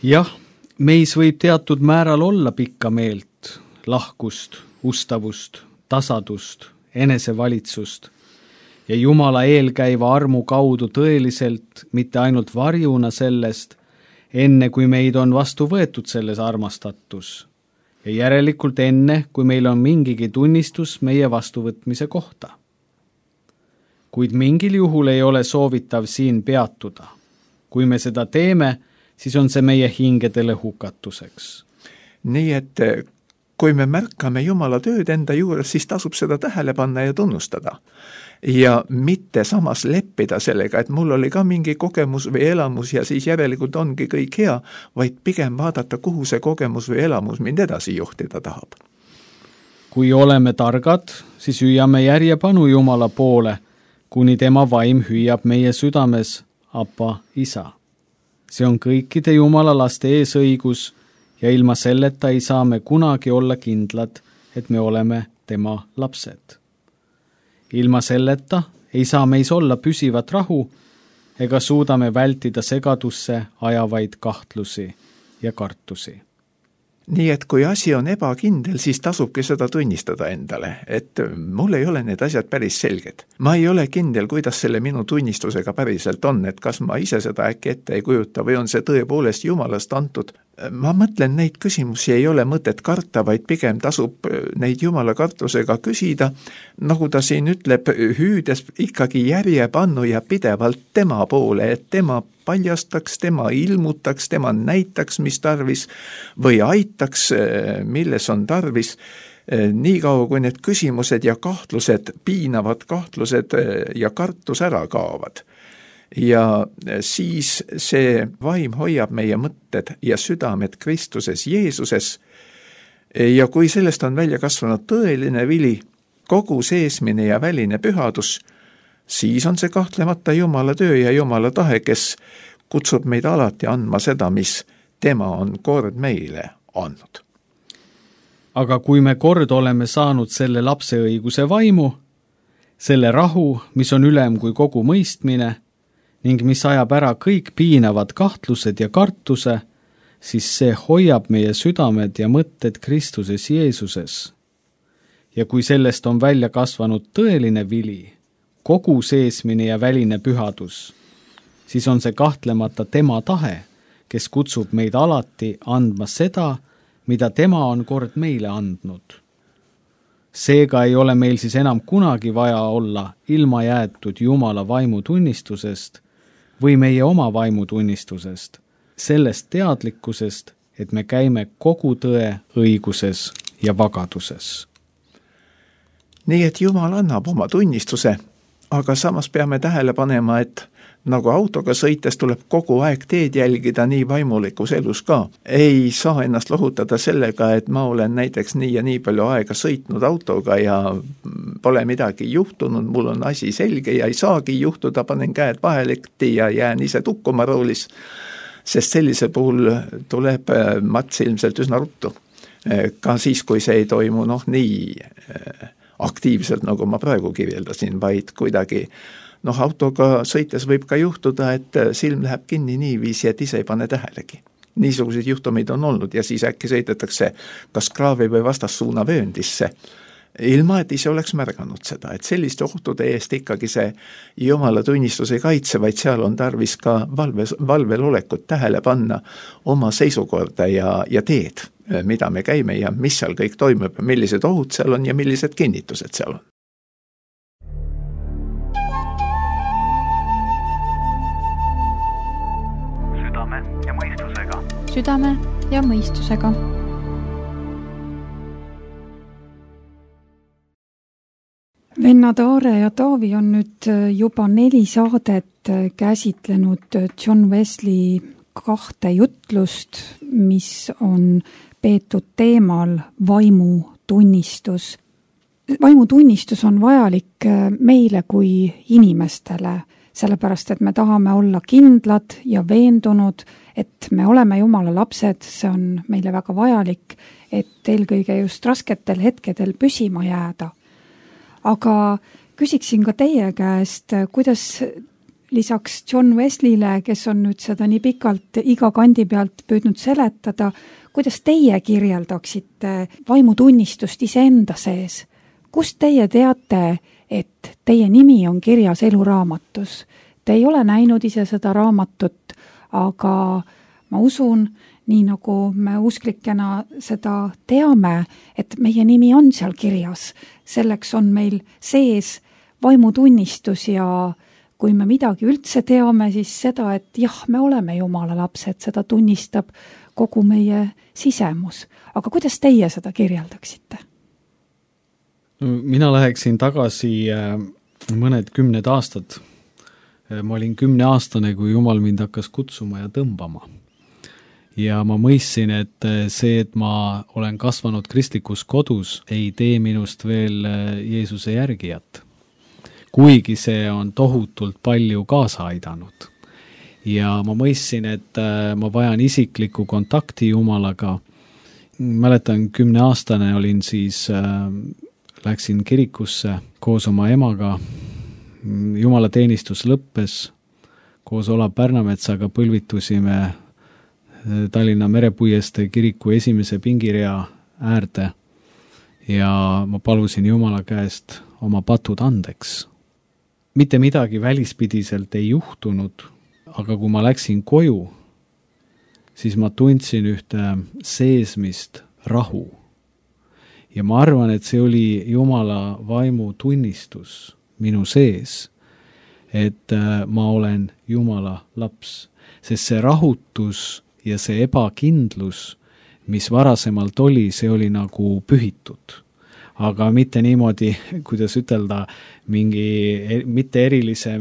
Jah. Meis võib teatud määral olla pikka meelt, lahkust, ustavust, tasadust, enesevalitsust ja Jumala eelkäiva armu kaudu tõeliselt, mitte ainult varjuna sellest, enne kui meid on vastu võetud selles armastatus ja järelikult enne, kui meil on mingigi tunnistus meie vastuvõtmise kohta. Kuid mingil juhul ei ole soovitav siin peatuda. Kui me seda teeme, siis on see meie hingedele hukatuseks. Nii et kui me märkame Jumala tööd enda juures, siis tasub seda tähele panna ja tunnustada. Ja mitte samas leppida sellega, et mul oli ka mingi kogemus või elamus ja siis järelikult ongi kõik hea, vaid pigem vaadata, kuhu see kogemus või elamus mind edasi juhtida tahab. Kui oleme targad, siis hüüame järjepanu Jumala poole, kuni tema vaim hüüab meie südames, Appa, Isa. See on kõikide Jumala laste eesõigus ja ilma selleta ei saa me kunagi olla kindlad, et me oleme tema lapsed. Ilma selleta ei saa meis olla püsivat rahu ega suudame vältida segadusse ajavaid kahtlusi ja kartusi. Nii et kui asi on ebakindel, siis tasubki seda tunnistada endale, et mul ei ole need asjad päris selged. Ma ei ole kindel, kuidas selle minu tunnistusega päriselt on, et kas ma ise seda äkki ette ei kujuta või on see tõepoolest Jumalast antud. Ma mõtlen, neid küsimusi ei ole mõtet karta, vaid pigem tasub neid Jumala kartusega küsida, nagu ta siin ütleb, hüüdes ikkagi järjepannu ja pidevalt tema poole, et tema paljastaks, tema ilmutaks, tema näitaks, mis tarvis, või aitaks, milles on tarvis, niikaua kui need küsimused ja kahtlused, piinavad kahtlused ja kartus ära kaovad. Ja siis see vaim hoiab meie mõtted ja südamed Kristuses Jeesuses ja kui sellest on välja kasvanud tõeline vili, kogu seesmine ja väline pühadus, siis on see kahtlemata Jumala töö ja Jumala tahe, kes kutsub meid alati andma seda, mis tema on kord meile andnud. Aga kui me kord oleme saanud selle lapseõiguse vaimu, selle rahu, mis on ülem kui kogu mõistmine ning mis ajab ära kõik piinavad kahtlused ja kartuse, siis see hoiab meie südamed ja mõtted Kristuses Jeesuses. Ja kui sellest on välja kasvanud tõeline vili, kogu seesmine ja väline pühadus, siis on see kahtlemata tema tahe, kes kutsub meid alati andma seda, mida tema on kord meile andnud. Seega ei ole meil siis enam kunagi vaja olla ilma jäetud Jumala vaimutunnistusest või meie oma vaimutunnistusest, sellest teadlikkusest, et me käime kogu tõe õiguses ja vagaduses. Nii et Jumal annab oma tunnistuse, aga samas peame tähele panema, et nagu autoga sõites tuleb kogu aeg teed jälgida nii vaimulikus elus ka. Ei saa ennast lohutada sellega, et ma olen näiteks nii ja nii palju aega sõitnud autoga ja pole midagi juhtunud, mul on asi selge ja ei saagi juhtuda, panen käed vahelekti ja jään ise tukkuma roolis, sest sellise puhul tuleb mats ilmselt üsna ruttu. Ka siis, kui see ei toimu nii aktiivselt, nagu ma praegu kirjeldasin, vaid kuidagi autoga sõites võib ka juhtuda, et silm läheb kinni niiviisi, et ise ei pane tähelegi. Niisuguseid juhtumeid on olnud ja siis äkki sõidetakse kas kraavi või vastassuuna vööndisse, ilma et ise oleks märganud seda, et selliste ohtude eest ikkagi see Jumala tunnistus ei kaitse, vaid seal on tarvis ka valvel olekut tähele panna oma seisukorda ja teed, mida me käime ja mis seal kõik toimub, millised ohud seal on ja millised kinnitused seal on. Südame ja mõistusega. Vennad Aare ja Taavi on nüüd juba 4 saadet käsitlenud John Wesley 2 jutlust, mis on peetud teemal vaimutunnistus. Vaimutunnistus on vajalik meile kui inimestele, sellepärast et me tahame olla kindlad ja veendunud, et me oleme Jumala lapsed, see on meile väga vajalik, et eelkõige just rasketel hetkedel püsima jääda. Aga küsiksin ka teie käest, kuidas lisaks John Wesleyle, kes on nüüd seda nii pikalt iga kandi pealt püüdnud seletada, kuidas teie kirjeldaksite vaimutunnistust iseenda sees? Kust teie teate, et teie nimi on kirjas eluraamatus? Te ei ole näinud ise seda raamatut, aga ma usun, nii nagu me usklikena seda teame, et meie nimi on seal kirjas. Selleks on meil sees vaimutunnistus ja kui me midagi üldse teame, siis seda, et jah, me oleme Jumala lapsed, seda tunnistab kogu meie sisemus. Aga kuidas teie seda kirjeldaksite? Mina läheksin tagasi mõned 10 aastad. Ma olin 10-aastane, kui Jumal mind hakkas kutsuma ja tõmbama. Ja ma mõistsin, et see, et ma olen kasvanud kristlikus kodus, ei tee minust veel Jeesuse järgijat. Kuigi see on tohutult palju kaasa aidanud. Ja ma mõistsin, et ma vajan isiklikku kontakti Jumalaga. Mäletan, 10-aastane olin siis, läksin kirikusse koos oma emaga. Jumala teenistus lõppes, koos Olav Pärnametsaga põlvitusime Tallinna Merepuiestee kiriku esimese pingirea äärde ja ma palusin Jumala käest oma patud andeks. Mitte midagi välispidiselt ei juhtunud, aga kui ma läksin koju, siis ma tundsin ühte seesmist rahu. Ja ma arvan, et see oli Jumala vaimu tunnistus minu sees, et ma olen Jumala laps, sest see rahutus ja see ebakindlus, mis varasemalt oli, see oli nagu pühitud. Aga mitte niimoodi, kuidas ütelda, mitte erilise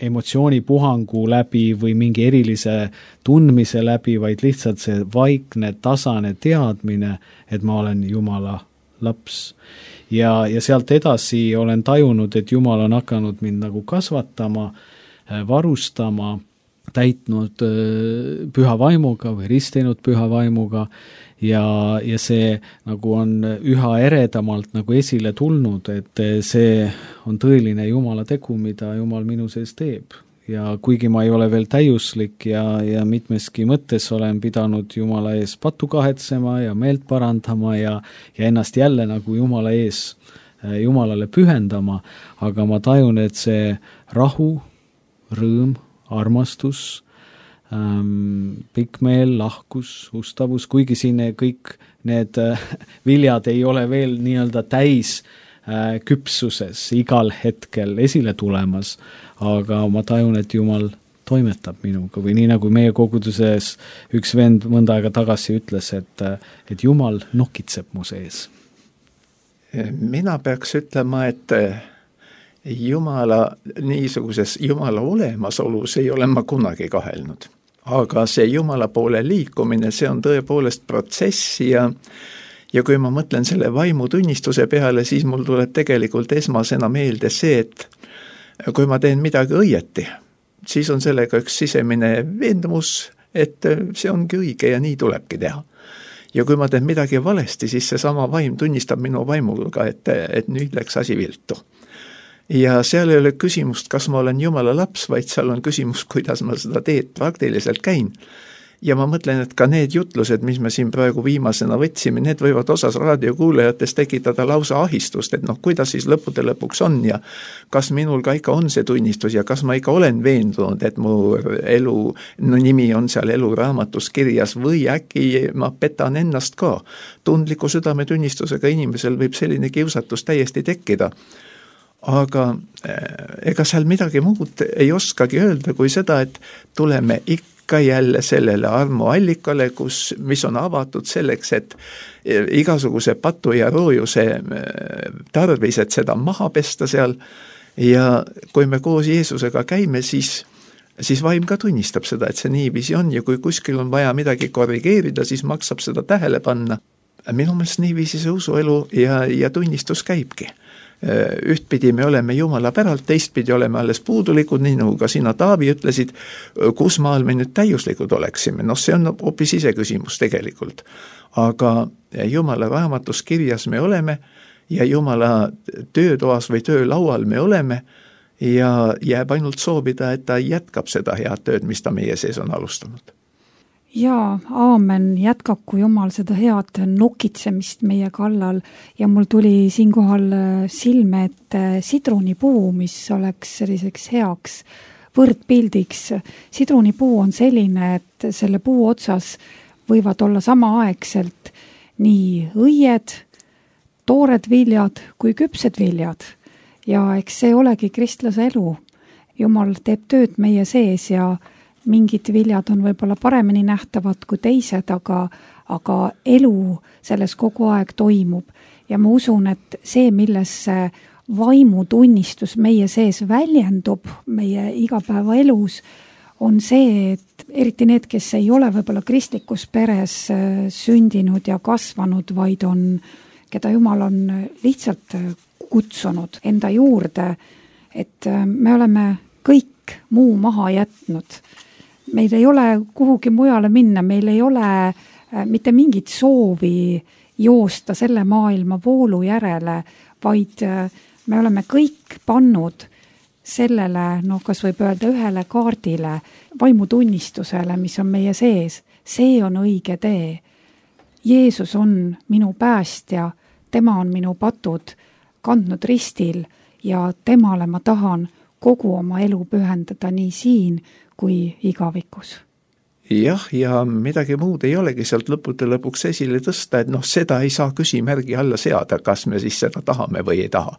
emotsioonipuhangu läbi või mingi erilise tundmise läbi, vaid lihtsalt see vaikne, tasane teadmine, et ma olen Jumala laps. Ja sealt edasi olen tajunud, et Jumal on hakanud mind nagu kasvatama, varustama, täitnud püha vaimuga või ristinud püha vaimuga ja see nagu on üha eredamalt nagu esile tulnud, et see on tõeline Jumala tegu, mida Jumal minu sees teeb. Ja kuigi ma ei ole veel täiuslik ja mitmeski mõttes olen pidanud Jumala ees pattu kahetsema ja meelt parandama ja ennast jälle nagu Jumala ees Jumalale pühendama, aga ma tajun, et see rahu, rõõm, armastus, pikmeel, lahkus, ustavus, kuigi siin kõik need viljad ei ole veel nii-öelda täis küpsuses igal hetkel esile tulemas, aga ma tajun, et Jumal toimetab minuga või nii nagu meie koguduses üks vend mõnda aega tagasi ütles, et Jumal nokitseb mu sees. Mina peaks ütlema, et Jumala olemasolus ei ole ma kunagi kahelnud. Aga see Jumala poole liikumine, see on tõepoolest protsess ja kui ma mõtlen selle vaimutunnistuse peale, siis mul tuleb tegelikult esmasena meelde see, et kui ma teen midagi õieti, siis on sellega üks sisemine veendumus, et see ongi õige ja nii tulebki teha. Ja kui ma teen midagi valesti, siis see sama vaim tunnistab minu vaimuga, et nüüd läks asi viltu. Ja seal ei ole küsimust, kas ma olen Jumala laps, vaid seal on küsimus, kuidas ma seda teed praktiliselt käin. Ja ma mõtlen, et ka need jutlused, mis me siin praegu viimasena võtsime, need võivad osas raadiokuulajatest tekitada lausa ahistust, et kuidas siis lõppude lõpuks on ja kas minul ka ikka on see tunnistus ja kas ma ikka olen veendunud, et mu elu nimi on seal eluraamatus kirjas või äkki ma petan ennast ka. Tundliku südametunnistusega inimesel võib selline kiusatus täiesti tekkida. Aga ega seal midagi muud ei oskagi öelda kui seda, et tuleme ikka jälle sellele armuallikale, mis on avatud selleks, et igasuguse patu ja roojuse tarvis, et seda maha pesta seal ja kui me koos Jeesusega käime, siis vaim ka tunnistab seda, et see niiviisi on ja kui kuskil on vaja midagi korrigeerida, siis maksab seda tähele panna. Minu meelest niiviisi see usuelu ja tunnistus käibki. Ühtpidi me oleme Jumala päralt, teistpidi oleme alles puudulikud, nii nagu ka sina, Taavi, ütlesid, kus maal me nüüd täiuslikud oleksime. See on hoopis ise küsimus tegelikult. Aga Jumala raamatus kirjas me oleme ja Jumala töötoas või töölaual me oleme ja jääb ainult soovida, et ta jätkab seda head tööd, mis ta meie sees on alustanud. Jaa, aamen, jätkaku Jumal seda head nokitsemist meie kallal ja mul tuli siinkohal silme, et sidrunipuu, mis oleks selliseks heaks võrdpildiks. Sidrunipuu on selline, et selle puu otsas võivad olla samaaegselt nii õied, toored viljad kui küpsed viljad. Ja eks see olegi kristlase elu. Jumal teeb tööd meie sees ja mingid viljad on võib-olla paremini nähtavad kui teised, aga elu selles kogu aeg toimub. Ja ma usun, et see, milles vaimutunnistus meie sees väljendub meie igapäeva elus, on see, et eriti need, kes ei ole võib-olla kristlikus peres sündinud ja kasvanud, vaid keda Jumal on lihtsalt kutsunud enda juurde, et me oleme kõik muu maha jätnud. Meil ei ole kuhugi mujale minna, meil ei ole mitte mingit soovi joosta selle maailma voolu järele, vaid me oleme kõik pannud sellele, kas võib öelda ühele kaardile, vaimutunnistusele, mis on meie sees. See on õige tee. Jeesus on minu päästja, tema on minu patud kandnud ristil ja temale ma tahan kogu oma elu pühendada nii siin kui igavikus. Jah, ja midagi muud ei olegi sealt lõpuks esile tõsta, et seda ei saa küsimärgi alla seada, kas me siis seda tahame või ei taha.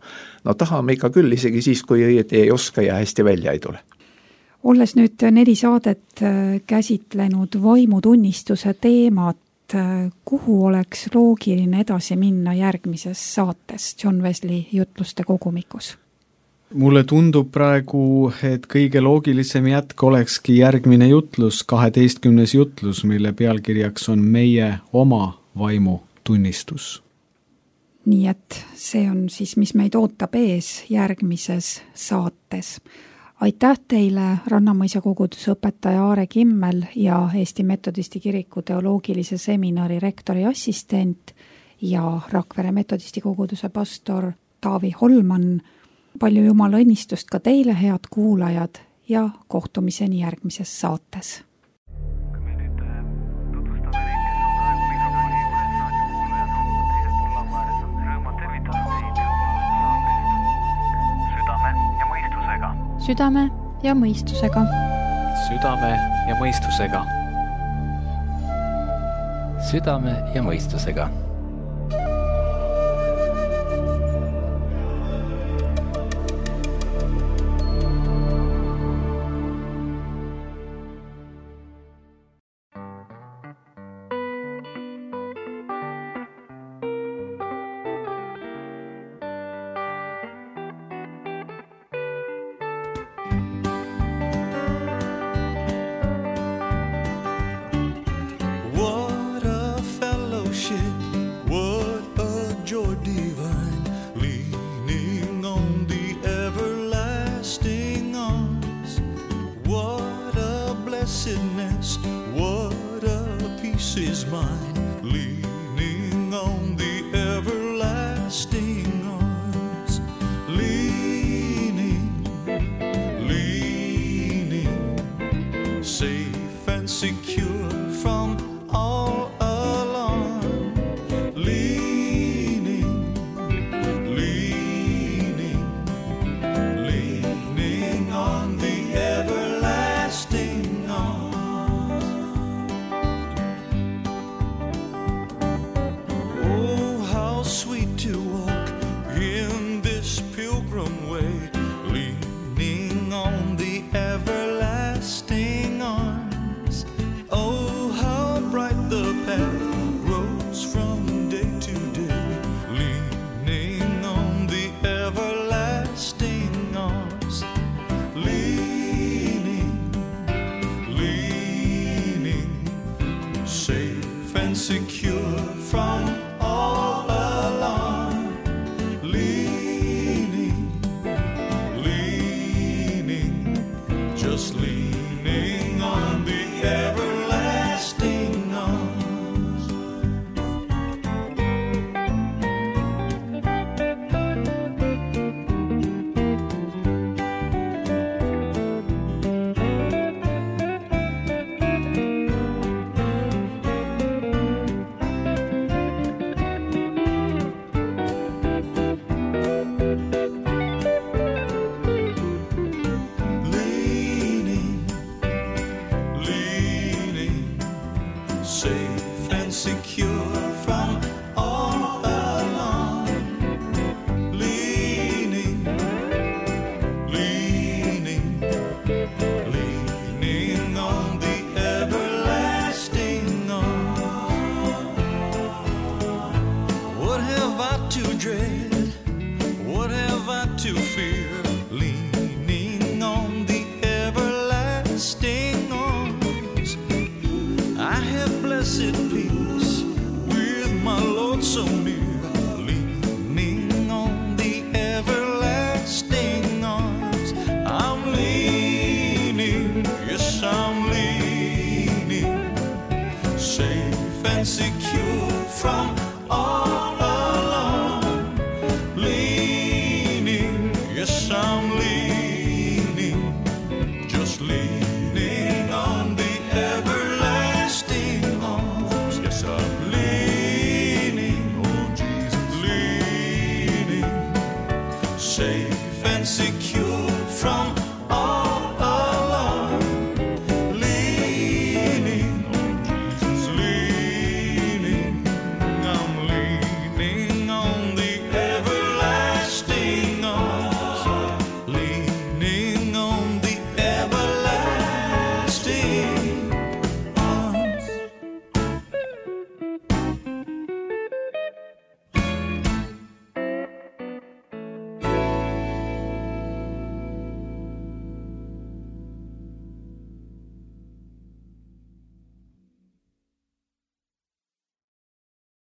Tahame ikka küll, isegi siis, kui õieti ei oska ja hästi välja ei tule. Olles nüüd 4 saadet käsitlenud vaimutunnistuse teemat, kuhu oleks loogiline edasi minna järgmises saates John Wesley jutluste kogumikus? Mulle tundub praegu, et kõige loogilisem jätk olekski järgmine jutlus, 12. jutlus, mille pealkirjaks on meie oma vaimutunnistus. Nii et see on siis, mis meid ootab ees järgmises saates. Aitäh teile, Rannamõisa koguduse õpetaja Aare Kimmel ja Eesti Metodisti Kiriku teoloogilise seminari rektori assistent ja Rakvere Metodisti koguduse pastor Taavi Holman. Palju Jumala õnnistust ka teile, head kuulajad, ja kohtumiseni järgmises saates. Kui me nüüd tutvustame neid, kes on praegu mikrofoni juures, raadiokuulajad on teisel pool laua ääres, on rõõma tervitada teid saatest Südame ja mõistusega. Südame ja mõistusega. Südame ja mõistusega. Südame ja mõistusega. Safe and secure from